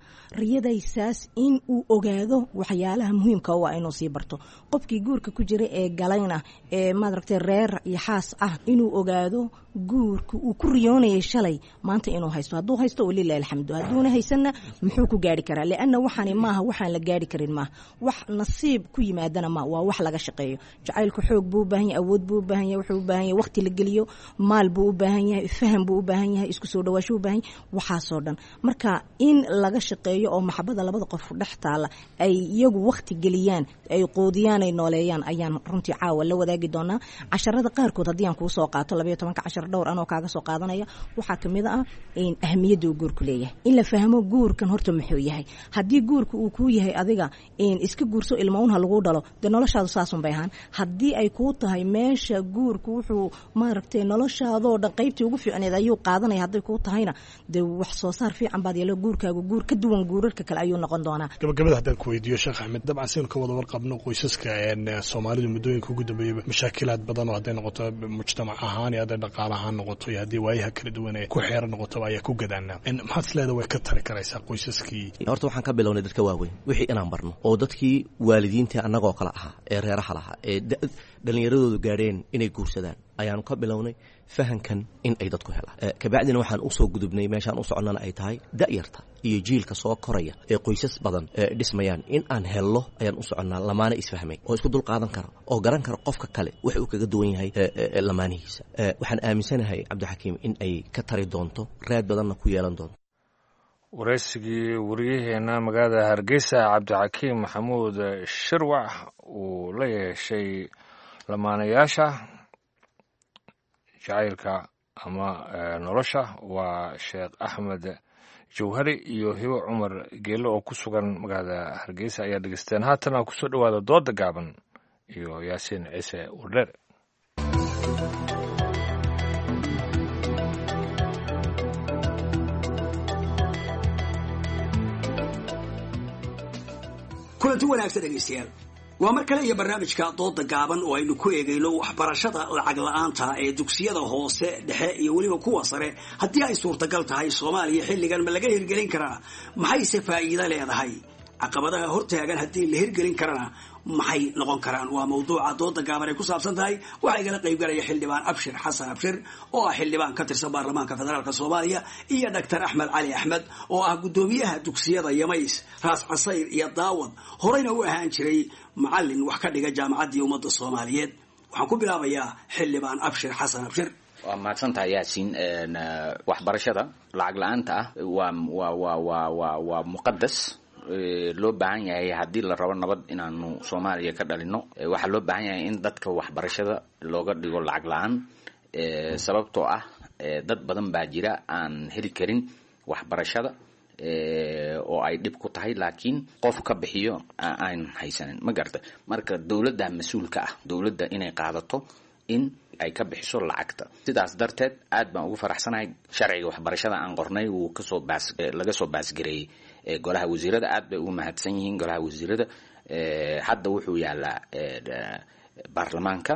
riyadaysaas in uu ogaado waxyaalaha muhiimka u ah inuu sii barto. Qofkii guurka ku jira ee galayna ee maadaragtay reer iyo xaas ah inuu ogaado guurka uu ku riyoonayay shalay maanta inuu haysto. Hadduu haysto, walilahi alxamdu. Hadduuna haysanna, muxuu ku gaari karaa? Lianna waxaani maaha waxaan la gaari karin, maaha wax nasiib ku yimaadana, ma waa wax laga shaqeeyo. Jacaylku xoog buu u baahan yahay, awood buu u baahan yahay, wuxuu u baahan yahay waqti la geliyo, maal buu u baahan yahay, faham buu u baahan yahay, isku soo dhawaasho u baahan yahay, waxaasoo dhan. Marka in laga shaqeeyo oo maxabada labada qof dhex taala ay iyagu waqti geliyaan, ay quudiyaan, ay nooleeyaan ayaan runtii caawa la wadaagi doonaa casharada qaarkood. Haddii aan kuu soo qaato 12-ka cashar dhowr anoo kaaga soo qaadanaya, waxaa kamid ah in ahmiyadda uu guurku leeyahay, in la fahmo guurkan horta muxuu yahay. Haddii guurka uu kuu yahay adiga in iska guurso, ilma un ha lagu dhalo, dee noloshaadu saasun bay ahaan. Haddii ay kuu tahay meesha guurku wuxuu maaragtay noloshaadoo dhan qaybtii ugu fiicneed ayuu qaadanaya, hadday kuu tahayna dee wax soo saar fiican baad yeelo, guurkaagu guur ka duwan guurarka kale ayuu noqon doonaa. Gabagabada haddaan ku weydiiyo, Sheekh Axmed, dabcan saynu ka wada warqabno qoysaska Soomaalidu muddooyinka ugu dambeeyaba mashaakilaad badan oo hadday noqoto mujtamac ahaan iyo hadday dhaqaale ahaan noqoto iyo haddii waayaha kala duwan ee ku xeeran noqotoba ayaa ku gadaanaa. Maxaad is leedahay way ka tari karaysaa qoysaskii? Horta waxaan ka bilownay dadka waaweyn wixii inaan barno, oo dadkii waalidiintii annagoo kale ahaa ee reeraha lahaa ee dhallinyaradoodu gaadheen inay guursadaan ayaanu ka bilownay fahankan in ay dadku helaan. Kabacdina waxaan usoo gudubnay meeshaan u soconnana ay tahay da'yarta iyo jiilka soo koraya ee qoysas badan ee dhismayaan in aan hello ayaan u soconnaa, lamaana isfahmay oo isku dul qaadan kara oo garan kara qofka kale wax uu kaga duwan yahay lamaanihiisa. Waxaan aaminsanahay, Cabdixakiim, in ay ka tari doonto, raad badanna ku yeelan doonto. Waraysigii wariyaheenna magaalada Hargeysa Cabdixakiim Maxamuud Shirwac uu la yeeshay lamaanayaasha jacaylka ama nolosha waa Sheekh Axmed Jawhari iyo Hibo Cumar Geele oo ku sugan magaalada Hargeysa ayaa dhegeysteen. Haatana kusoo dhowaada dooda gaaban iyo Yaasiin Ciise Wardheer. Kulanti wanaagsan dhegaystayaal, waa mar kale iyo barnaamijka dooda gaaban oo aynu ku eegayno waxbarashada lacag la-aanta ee dugsiyada hoose, dhexe iyo weliba kuwa sare. Haddii ay suurtagal tahay Soomaaliya xilligan ma laga hirgelin karaa? Maxayse faa'iido leedahay? Caqabadaha hortaagan haddii la hirgelin karana maxay noqon karaan? Waa mawduuca dooda gaaban ay ku saabsan tahay. Waxaa igala qaybgalaya xildhibaan Abshir Xasan Abshir oo ah xildhibaan ka tirsan baarlamaanka federaalk Soomaaliya iyo Doctor Axmed Cali Axmed oo ah guddoomiyaha dugsiyada Yamays, Raas Casayr iyo Daawad, horeyna u ahaan jiray macalin wax ka dhiga Jaamacaddii Ummadda Soomaaliyeed. Waxaan ku bilaabayaa xildhibaan Abshir Xasan Abshir. Waa mahadsantahay, Yaasiin. Waxbarashada lacag la-aanta ah waa waa waa waa waa waa muqadas loo baahan yahay. Haddii la rabo nabad inaanu Soomaaliya ka dhalino, waxaa loo baahan yahay in dadka waxbarashada looga dhigo lacag la-aan, sababtoo ah dad badan baa jira aan heli karin waxbarashada oo ay dhib ku tahay, laakiin qof ka bixiyo aan haysanin, ma garata? Marka dowladda mas-uulka ah, dowladda inay qaadato in ay ka bixiso lacagta. Sidaas darteed aad baan ugu faraxsanahay sharciga waxbarashada aan qornay wuu kasoo baas laga soo baasgareeyey golaha wasiirada. Aad bay ugu mahadsan yihiin golaha wasiirada. Hadda wuxuu yaalaa baarlamaanka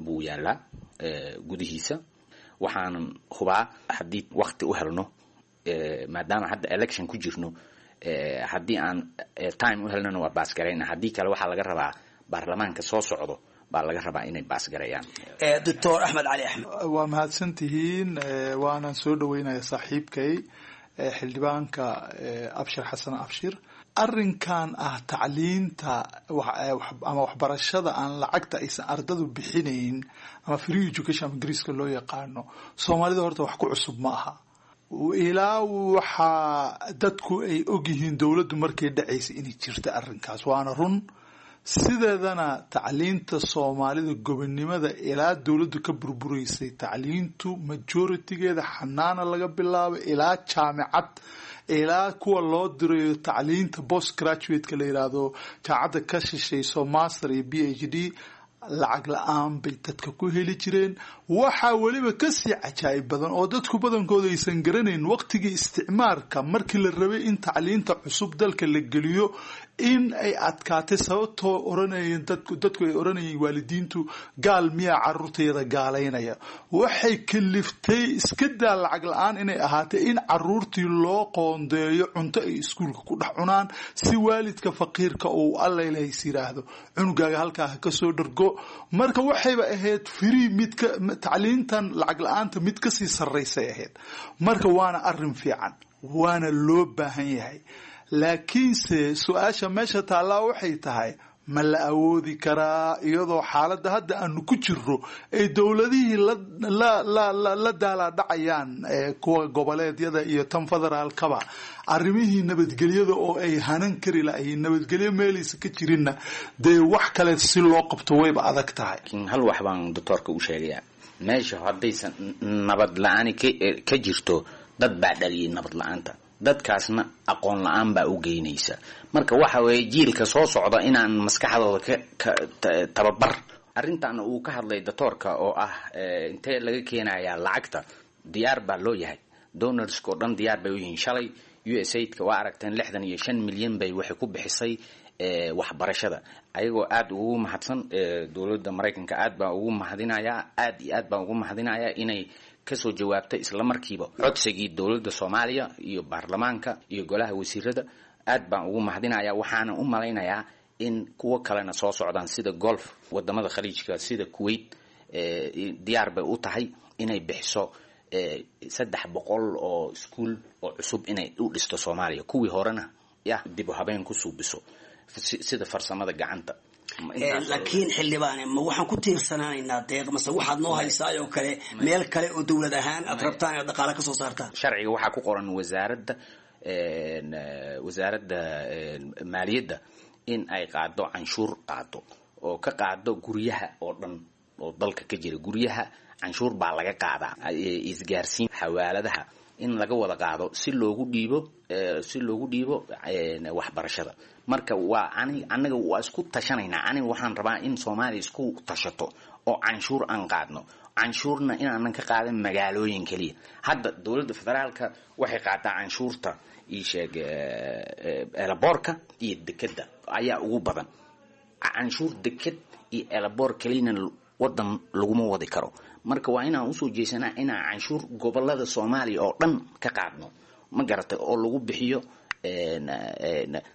buu yaalaa gudihiisa. Waxaanan hubaa haddii wakti u helno, maadaama hadda election ku jirno, haddii aan time u helnona waa baasgarayna, haddii kale waxaa laga rabaa baarlamaanka soo socdo baa laga rabaa inay baasgareeyaan. Doctor Axmed Cali Axmed. Waa mahadsantihiin, waanaan soo dhaweynaya saaxiibkay xildhibaanka Abshir Xasan Abshir. Arrinkan ah tacliinta ama waxbarashada aan lacagta aysan ardadu bixinayn ama free education ama Ingiriiska loo yaqaano, Soomaalida horta wax ku cusub ma aha. Ilaa waxaa dadku ay ogyihiin dowladdu markay dhacaysa inay jirta arrinkaas, waana run. Sideedana tacliinta Soomaalida gobonnimada ilaa dowladdu ka burburaysay, tacliintu majoritigeeda xanaana laga bilaabo ilaa jaamicad, ilaa kuwa loo dirayo tacliinta post graduate-ka la yiraahdo, jaamacadda ka shishayso master iyo PhD, lacag la-aan bay dadka ku heli jireen. Waxaa weliba kasii cajaa'ib badan oo dadku badankooda aysan garanayn, waqtigii isticmaarka markii la rabay in tacliinta cusub dalka la geliyo in ay adkaatay, sababtoo oranayeen dadku ay oranayeen waalidiintu, "Gaal miyaa caruurtayada gaalaynaya?" Waxay kaliftay, iska daa lacag la-aan inay ahaatay, in caruurtii loo qoondeeyo cunto ay iskuulka ku dhex cunaan, si waalidka faqiirka uu Allailahays yiraahdo cunugaaga halkaa ha kasoo dhargo. Marka waxayba ahayd free midka tacliintan lacag la-aanta mid kasii sarraysay ahayd. Marka waana arrin fiican, waana loo baahan yahay, laakiinse su-aasha meesha taallaa waxay tahay, ma la awoodi karaa iyadoo xaaladda hadda aanu ku jirro ay dowladihii la daalaadhacayaan, kuwa goboleedyada iyo tan federaalkaba, arrimihii nabadgelyada oo ay hanan kari lahayiin, nabadgelyo meelaysa ka jirinna dee wax kale si loo qabto wayba adag tahay. Laakiin hal wax baan doctoorka u sheegayaa: meesha haddaysan nabad la-aani ka jirto, dad baa dhaliyay nabad la-aanta, dadkaasna aqoon la-aan baa u geynaysa. Marka waxa weeye jiilka soo socda inaan maskaxdooda ka tababar. Arrintan uu ka hadlay doctoorka oo ah intee laga keenayaa lacagta, diyaar baa loo yahay. Donorska oo dhan diyaar bay u yihiin. Shalay USAID-ka waa aragteen, 65 milyan bay waxay ku bixisay waxbarashada, ayagoo aada ugu mahadsan dowladda Maraykanka. Aad baan ugu mahadinayaa, aad iyo aad baan ugu mahadinayaa inay kasoo jawaabtay isla markiiba codsigii dowladda Soomaaliya iyo baarlamaanka iyo golaha wasiirada. Aad baan ugu mahadinayaa. Waxaana u malaynayaa in kuwo kalena soo socdaan, sida Golf, wadamada Khaliijka sida Kuwait diyaar bay u tahay inay bixiso 300 oo iskuul oo cusub inay u dhisto Soomaaliya, kuwii horena ya dib u habeen ku suubiso sida farsamada gacanta. Laakiin xildhibaane, ma waxaan ku tiirsanaanaynaa deeq mase waxaad noo haysaayoo kale meel kale oo dowlad ahaan aad rabtaan inaad dhaqaale kasoo saartaan? Sharciga waxaa ku qoran wasaaradda maaliyadda in ay qaado canshuur, qaado oo ka qaado guryaha oo dhan oo dalka ka jira. Guryaha canshuur baa laga qaadaa, isgaarsiin, xawaaladaha, In laga wada qaado si loogu dhiibo, si loogu dhiibo waxbarashada. Marka waa ani anaga waa isku tashanaynaa. Aniga waxaan rabaa in Soomaaliya isku tashato oo canshuur aan qaadno, canshuurna inaanan ka qaadan magaalooyin keliya. Hadda dowladda federaalka waxay qaataa canshuurta, ii sheeg, elaboorka iyo dekeda ayaa ugu badan. Canshuur deked iyo elaboor keliyana wadan laguma wadi karo. Marka waa inaan usoo jeesanaa inaan canshuur gobolada Soomaaliya oo dhan ka qaadno, ma garatay, oo lagu bixiyo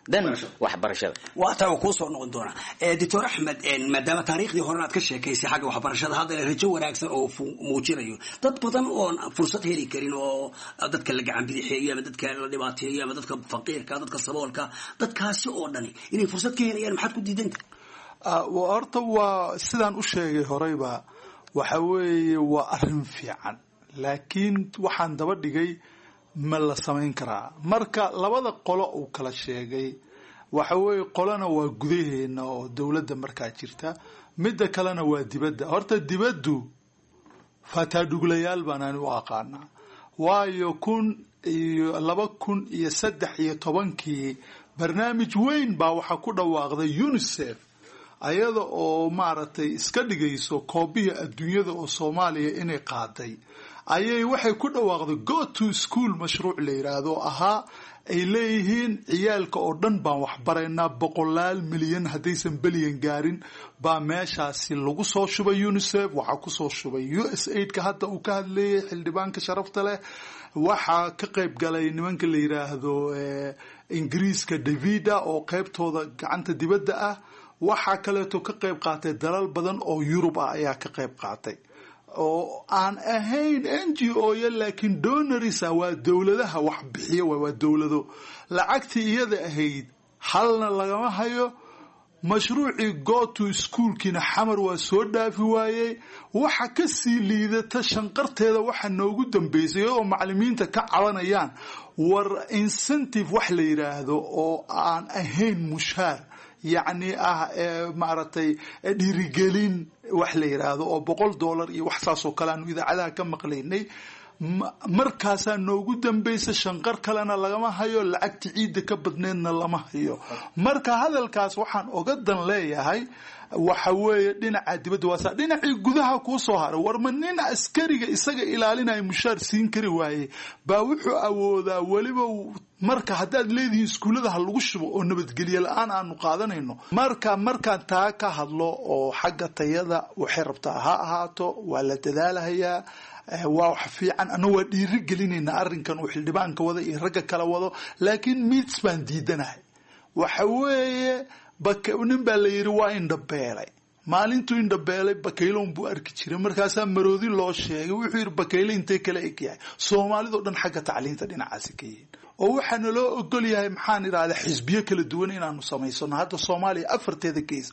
dan waxbarashada. Waa taa, kuu soo noqon doonaa, Doctor Axmed. Maadaama taariikhdii horena aad ka sheekaysay xagga waxbarashada, haddana rajo wanaagsan oo muujinayo dad badan oon fursad heli karin oo dadka la gacan bidixeeyo ama dadka la dhibaateeyo ama dadka faqiirka, dadka saboolka, dadkaasi oo dhani inay fursad ka helayaan, maxaad ku diidanta? Horta waa sidaan u sheegay horeyba, waxa weeye waa arrin fiican, laakiin waxaan daba dhigay ma la samayn karaa? Marka labada qolo uu kala sheegay, waxa weeye qolona waa gudaheena oo dowladda markaa jirta, midda kalena waa dibadda. Horta dibaddu fataadhuglayaal baan ani u aqaanaa, waayo 2013-kii barnaamij weyn baa waxaa ku dhawaaqday UNICEF, ayada oo maaragtay iska dhigayso koobihii adduunyada oo Soomaaliya inay qaaday, ayay waxay ku dhawaaqday Go to School, mashruuc la yidhaahdo ahaa ay leeyihiin ciyaalka oo dhan baan waxbaraynaa. Boqolaal milyan, haddaysan bilyan gaarin, baa meeshaasi lagu soo shubay. UNICEF waxaa kusoo shubay USAID-ka hadda uu ka hadleeyay xildhibaanka sharafta leh, waxaa ka qayb galay nimanka la yidhaahdo Ingiriiska Davida oo qaybtooda gacanta dibadda ah, waxaa kaleeto ka qayb qaatay dalal badan oo Yurub ah ayaa ka qayb qaatay oo aan ahayn NGO ya, laakiin donors ah, waa dowladaha wax bixiya, waa dowlado. Lacagtii iyada ahayd halna lagama hayo. Mashruucii Go to Schoolkiina Xamar waa soo dhaafi waayey. Waxa kasii liidata shanqarteeda waxa noogu dambeysay iyadoo macalimiinta ka cabanayaan, war incentive wax la yidhaahdo oo aan ahayn mushaar, yacni ah maaragtay dhiirigelin wax la yidhaahdo oo $100 iyo wax saas oo kale aanu idaacadaha ka maqlaynay. Markaasaa noogu dambaysa, shanqar kalena lagama hayo, lacagta ciidda ka badneedna lama hayo. Marka hadalkaas waxaan oga dan leeyahay waxa weeye dhinaca dibadda waasa, dhinacii gudaha kuu soo haray, war ma nin askariga isaga ilaalinaya mushaar siin kari waaye baa wuxuu awoodaa weliba? Marka haddaad leedihiin iskuullada ha lagu shubo oo nabadgelye la-aan aanu qaadanayno, marka markaan taa ka hadlo oo xagga tayada waxay rabtaa ha ahaato, waa la dadaalahayaa, waa wax fiican, anna waa dhiiri gelinaynaa arrinkan uu xildhibaanka wada iyo ragga kala wado, laakiin mids baan diidanahay. Waxa weeye nin baa la yidhi waa indhabeelay. Maalintuu indhabeelay bakayloon buu arki jiray, markaasaa maroodi loo sheegay. Wuxuu yidhi bakayle intee kala eg yahay? Soomaalidao dhan xagga tacliinta dhinacaasi ka yihiin oo waxaa naloo ogol yahay, maxaan idhahdaa, xisbiyo kala duwan inaanu samaysano hadda Soomaaliya afarteeda gees.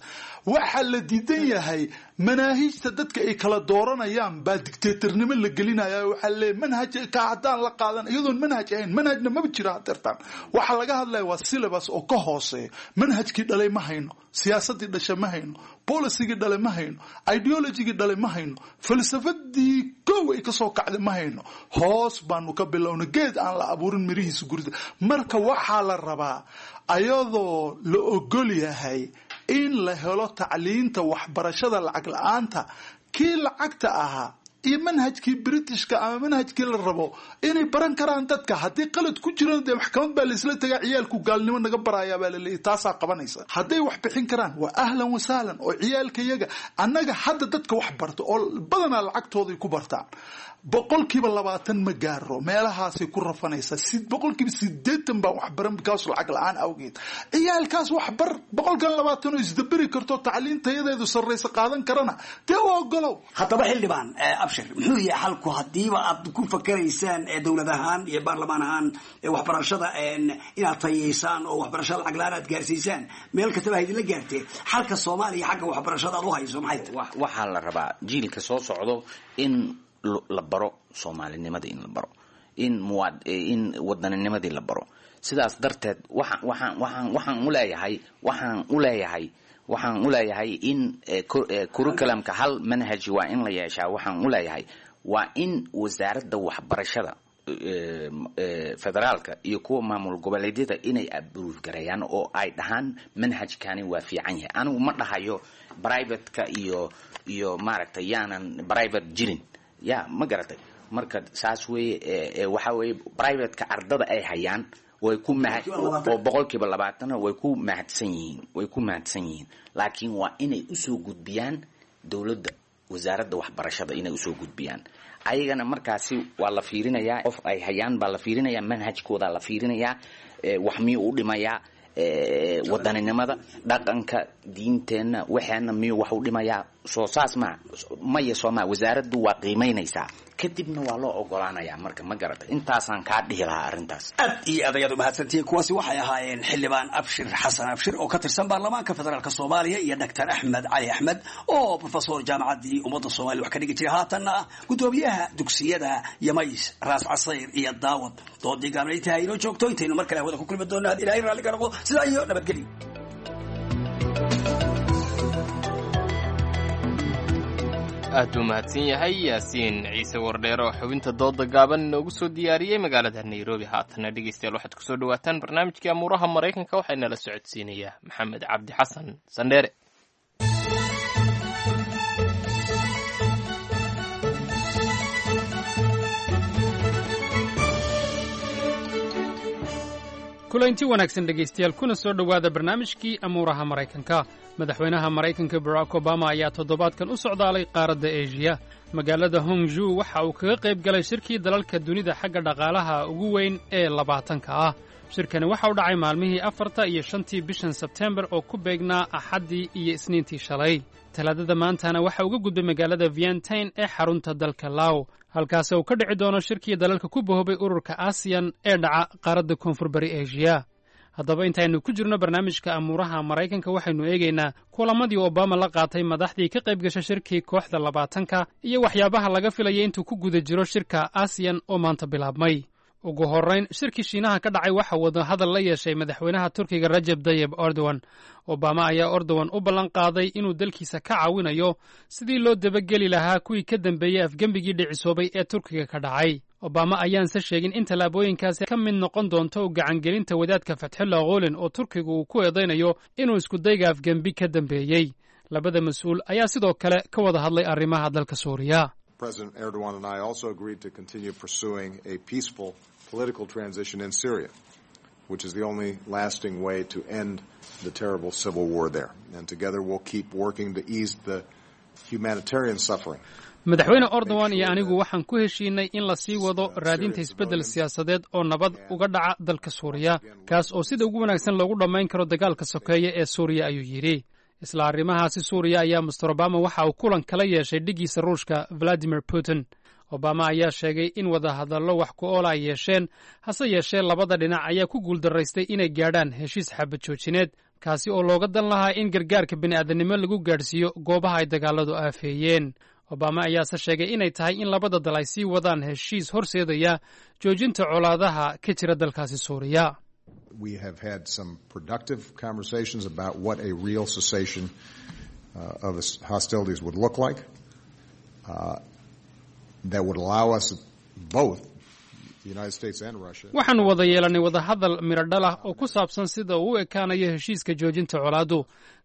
Waxaa la diidan yahay manaahijta dadka ay kala dooranayaan baa dictatornimo la gelinaya. Waxaa leeyahy manhaj ka haddaan la qaadan, iyadoon manhaj ahayn, manhajna maba jiro hadeertaan. Waxaa laga hadlaya waa syllabus oo ka hooseeya manhajkii dhalay. Ma hayno siyaasadii dhasha, ma hayno policygii dhale, ma hayno ideologygii dhale, ma hayno falsafadii kow ay kasoo kacday, ma hayno. Hoos baanu ka bilowna, geed aan la abuurin mirihiisa gurida. Marka waxaa la rabaa, ayadoo la ogol yahay in la helo tacliinta waxbarashada lacag la-aanta, kii lacagta ahaa iyo manhajkii Britishka ama manhajkii la rabo inay baran karaan dadka. Haddii qalad ku jirana dee maxkamad baa laisla tagaa, ciyaalku gaalnimo naga barayaa baa laleeyahy, taasaa qabanaysa. Hadday wax bixin karaan waa ahlan wasahlan, oo ciyaalka iyaga annaga hadda dadka wax barta oo badanaa lacagtooday ku bartaan, 20% ma gaaro, meelahaasay ku rafanaysaa. 80% baan waxbaran bikaas lacag la-aan awgeed. Ciyaalkaas waxbar 20% oo isdaberi karto, tacliin tayadeedu sarraysa qaadan karana dee u ogolow. Haddaba xildhibaan Abshir, muxuu yahay xalku haddiiba aad ku fakeraysaan dowlad ahaan iyo baarlamaan ahaan waxbarashada inaad tayeysaan oo waxbarashada lacag la-aan aad gaarsiisaan meel kastaba ha idinla gaartee, xalka Soomaaliya xagga waxbarashada aad u hayso maxay tahay? Waxaa la rabaa jiilka soo socdo in la baro soomaalinimada, in la baro in muwaad in wadaninimadii la baro. Sidaas darteed waxaan u leeyahay in curriculumka hal manhaj waa in la yeeshaa. Waxaan u leeyahay waa in wasaaradda waxbarashada Federaalka iyo kuwa maamul goboleedyada inay approve gareeyaan oo ay dhahaan manhajkani waa fiican yahay. Anigu ma dhahayo privateka iyo maaragtay yaanan private jirin, ya ma garatay? Marka saas weeye. Waxa weeye privateka ardada ay hayaan way ku oo 20% way ku mahadsan yihiin, way ku mahadsan yihiin, laakiin waa inay usoo gudbiyaan dowladda, wasaaradda waxbarashada inay usoo gudbiyaan. Ayagana markaasi waa la fiirinayaa, qof ay hayaan baa la fiirinayaa, manhajkooda la fiirinayaa, wax miyuu u dhimayaa wadaninimada, dhaqanka, diinteenna, waxeena miyuu wax u dhimayaa? Soo saas ma maya, soo maa wasaaraddu waa qiimaynaysaa, kadibna waa loo ogolaanayaa. Marka ma garata, intaasaan kaa dhihi lahaa arrintaas. Aad iyo aad ayaad umahadsantihiin. Kuwaasi waxay ahaayeen xildhibaan Abshir Xasan Abshir oo ka tirsan baarlamaanka federaalka Soomaaliya iyo Doctor Axmed Cali Axmed oo professor jaamacaddii Ummadda Soomaaliya wax ka dhigi jiray, haatanna ah guddoomiyaha dugsiyada Yamays, Raas Casayr iyo Daawad. Doodii gaabnaytahay inoo joogto. Intaynu mar kale hawada ku kulmi doonno, had Ilaahay raalli ka noqdo, sidaa iyo nabadgelyo. Aad buu mahadsan yahay Yaasiin Ciise Wardheer oo xubinta dooda gaaban inoogu soo diyaariyey magaalada Nairobi. Haatana dhegeystayaal, waxaad kusoo dhawaataan barnaamijkii amuuraha Maraykanka. Waxaa inala socodsiinayaa Maxamed Cabdi Xasan Sandheere. Kulanti wanaagsan dhegaystayaal, kuna soo dhowaada barnaamijkii amuuraha Maraykanka. Madaxweynaha Maraykanka Barack Obama ayaa toddobaadkan u socdaalay qaaradda Eshiya. Magaalada Hongju waxa uu kaga qayb galay shirkii dalalka dunida xagga dhaqaalaha ugu weyn ee 20-ka ah. Shirkani waxa u dhacay maalmihii 4-ta iyo 5-tii bishan Sebtembar oo ku beegnaa Axaddii iyo Isniintii shalay. Talaadada maantana waxa uga gudbay magaalada Vientain ee xarunta dalka Law, halkaasi uu ka dhici doono shirkii dalalka ku bahoobay ururka ASIYAN ee dhaca qaaradda Koonfur Bari Eshiya. Haddaba intaynu ku jirno barnaamijka amuuraha Maraykanka, waxaynu eegaynaa kulamadii Obama la qaatay madaxdii ka qayb gasha shirkii kooxda 20-ka iyo waxyaabaha laga filaya intuu ku guda jiro shirka ASIYAN oo maanta bilaabmay. Ugu horrayn, shirkii Shiinaha ka dhacay waxa wada hadal la yeeshay madaxweynaha Turkiga Rajeb Dayeb Erdogan. Obama ayaa Erdogan u ballan qaaday inuu dalkiisa ka caawinayo sidii loo dabageli lahaa kuwii ka dambeeyey afgembigii dhicisoobay ee Turkiga ka dhacay. Obama ayaanse sheegin in tallaabooyinkaasi ka mid noqon doonto u gacangelinta wadaadka Fatxullah Gholen oo Turkiga uu ku eedaynayo inuu iskudayga afgembi ka dambeeyey. Labada mas-uul ayaa sidoo kale ka wada hadlay arrimaha dalka Suuriya. President Erdogan and I also agreed to continue pursuing a peaceful political transition in Syria, which is the only lasting way to end the terrible civil war there. And together we'll keep working to ease the humanitarian suffering. Madaxweyne Erdogan iyo anigu waxaan ku heshiinay in la sii wado raadinta isbeddel siyaasadeed oo nabad uga dhaca dalka Suuriya, kaas oo sida ugu wanaagsan loogu dhammayn karo dagaalka sokeeye ee Suuriya, ayuu yidhi. Isla arrimahaasi Suuriya ayaa Mister Obama waxa uu kulan kala yeeshay dhiggiisa Ruushka Vladimir Putin. Obama ayaa sheegay in wadahadallo wax ku oola ay yeesheen, hase yeeshee labada dhinac ayaa ku guuldaraystay inay gaadhaan heshiis xabad joojineed, kaasi oo looga dan lahaa in gargaarka bini'aadanimo lagu gaadhsiiyo goobaha ay dagaaladu aafeeyeen. Obama ayaase sheegay inay tahay in labada dal ay sii wadaan heshiis horseedaya joojinta colaadaha ka jira dalkaasi Suuriya. We have had some productive conversations about what a real cessation of hostilities would look like that would allow us both, the United States and Russia. Waxaannu wada yeelannay wadahadal miradhal ah oo ku saabsan sida uu u ekaanayo heshiiska joojinta colaaddu,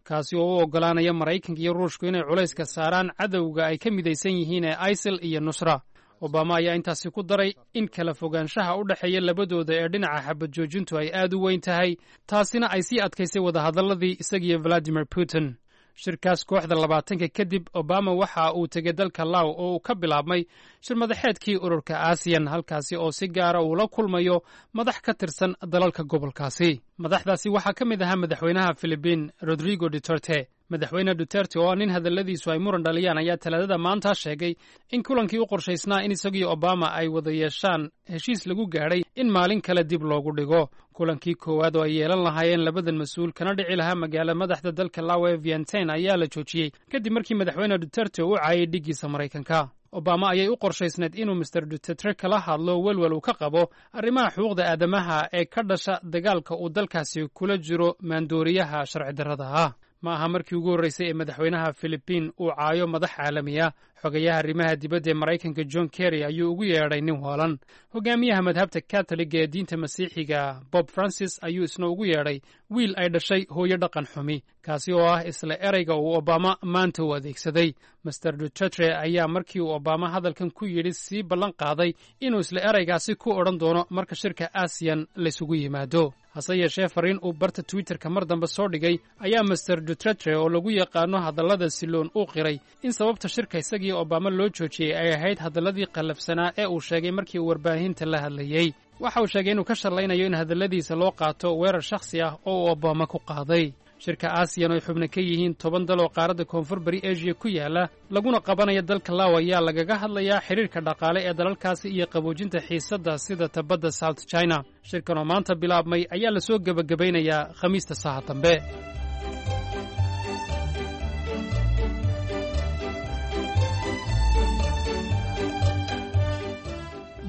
kaasi oo u oggolaanaya Maraykanka iyo Ruushku inay culayska saaraan cadowga ay ka midaysan yihiin ee ISIL iyo Nusra. Obama ayaa intaasi ku daray in kala fogaanshaha u dhexeeya labadooda ee dhinaca xabad joojintu ay aad u weyn tahay, taasina ay sii adkaysay wadahadalladii isagiyo Vladimir Putin. Shirkaas kooxda 20-ka kadib, Obama waxa uu tegey dalka Law oo uu ka bilaabmay shir madaxeedkii ururka ASIYAN, halkaasi oo si gaara uu la kulmayo madax ka tirsan dalalka gobolkaasi. Madaxdaasi waxaa ka mid ahaa madaxweynaha Filibiin Rodrigo Duterte. Madaxweyne Duterte oo ah nin hadalladiisu ay muran dhaliyaan ayaa Talaadada maanta sheegay in kulankii u qorshaysnaa in isagiyo Obama ay wada yeeshaan heshiis lagu gaadhay in maalin kale dib loogu dhigo. Kulankii koowaad oo ay yeelan lahaayeen labadan mas-uul kana dhici lahaa magaala madaxda dalka Law ee Vientain ayaa la joojiyey kadib markii madaxweyne Duterte uu caayay dhiggiisa Maraykanka. Obama ayay u qorshaysnayd inuu Mister Duterte kala hadlo welwel uu ka qabo arrimaha xuquuqda aadamaha ee ka dhasha dagaalka uu dalkaasi kula jiro maandooriyaha sharci darrada ah. Ma aha markii ugu horreysay ee madaxweynaha Filibiin uu caayo madax caalami ah. Xogayaha arrimaha dibadda ee Maraykanka John Kerry ayuu ugu yeedhay nin waalan. Hogaamiyaha madhabta Katoliga ee diinta Masiixiga Bob Francis ayuu isna ugu yeedhay wiil ay dhashay hooyo dhaqan xumi, kaasi oo ah isla ereyga uu Obama maanta u adeegsaday. Master Duterte ayaa markii uu Obama hadalkan ku yidhi sii ballan qaaday inuu isla ereygaasi ku odhan doono marka shirka ASEAN laysugu yimaado. Hase yeeshee, fariin uu barta Twitterka mar dambe soo dhigay ayaa Master Duterte, oo lagu yaqaano hadallada siloon, uu qiray in sababta shirka isagii Obama loo joojiyey ay ahayd hadalladii qallafsanaa ee uu sheegay markii uu warbaahinta la hadlayey. Waxa uu sheegay inuu ka shallaynayo in hadalladiisa loo qaato weerar shakhsi ah oo uu Obama ku qaaday. Shirka ASEAN, oo ay xubno ka yihiin 10 dal oo qaaradda Koonfur Bari Asia ku yaala, laguna qabanaya dalka Law, ayaa lagaga hadlayaa xidhiirka dhaqaale ee dalalkaasi iyo qaboojinta xiisadda sida tabadda South China. Shirkan oo maanta bilaabmay ayaa lasoo gebagabaynayaa Khamiista saha dambe.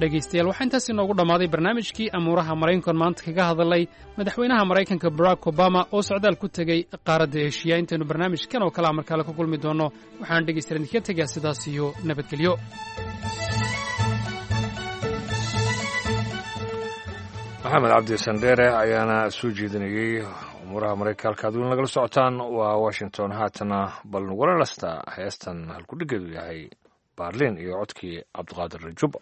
Dhegaystayaal, waxaa intaas inoogu dhammaaday barnaamijkii amuuraha Maraykanka maanta kaga hadalay madaxweynaha Maraykanka Barack Obama oo socdaal ku tegey qaaradda Eshiya. Intaynu barnaamijkan oo kalea markaale ku kulmi doonno, waxaan dhegaystayaal idinkaga tegaa sidaas iyo nabadgelyo. Maxamed Cabdi Sandheere ayaana soo jeedinayey umuuraha Maraykanka. Halkaad weli nagala socotaan waa Washington. Haatana bal nagula lastaa heestan halkudhigeedu yahay Baarlin iyo codkii Cabdiqaadir Rajuba.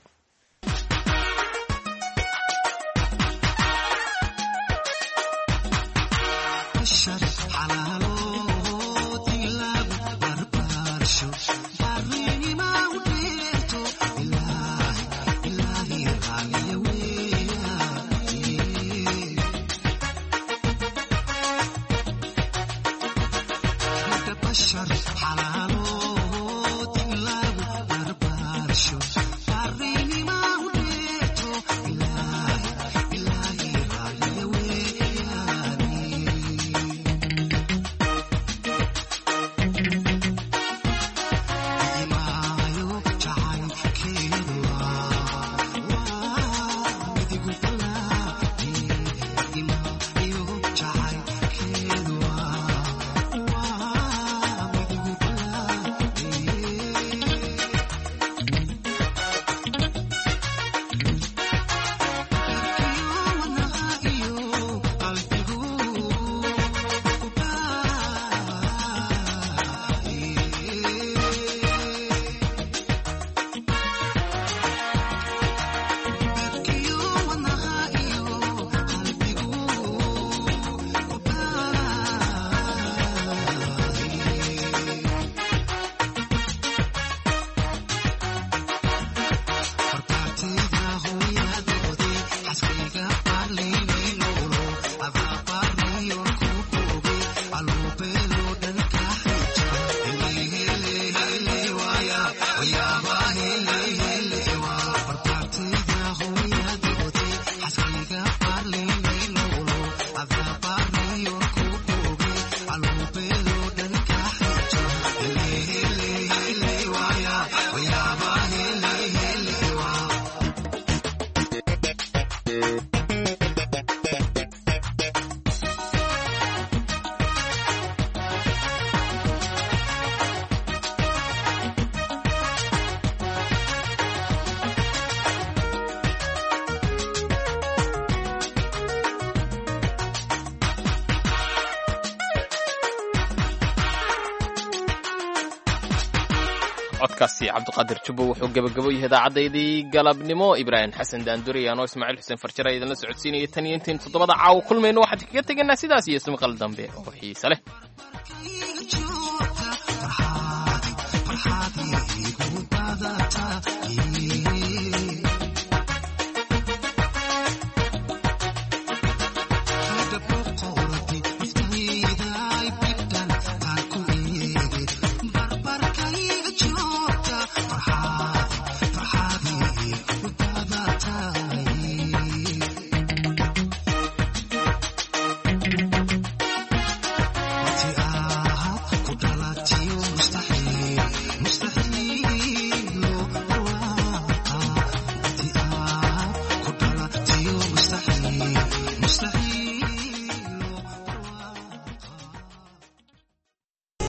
Codkaasi Cabdiqaadir Jubbo wuxuu gebagabo yahay idaacaddayadii galabnimo. Ibraahim Xasan Daanduri anoo Ismaaciil Xuseen Farjare idinla socodsiinaya tan iyo intaynu 7da caawa kulmayno, waxaan kaga tegaynaa sidaas iyo ismaqal dambe oo xiise leh.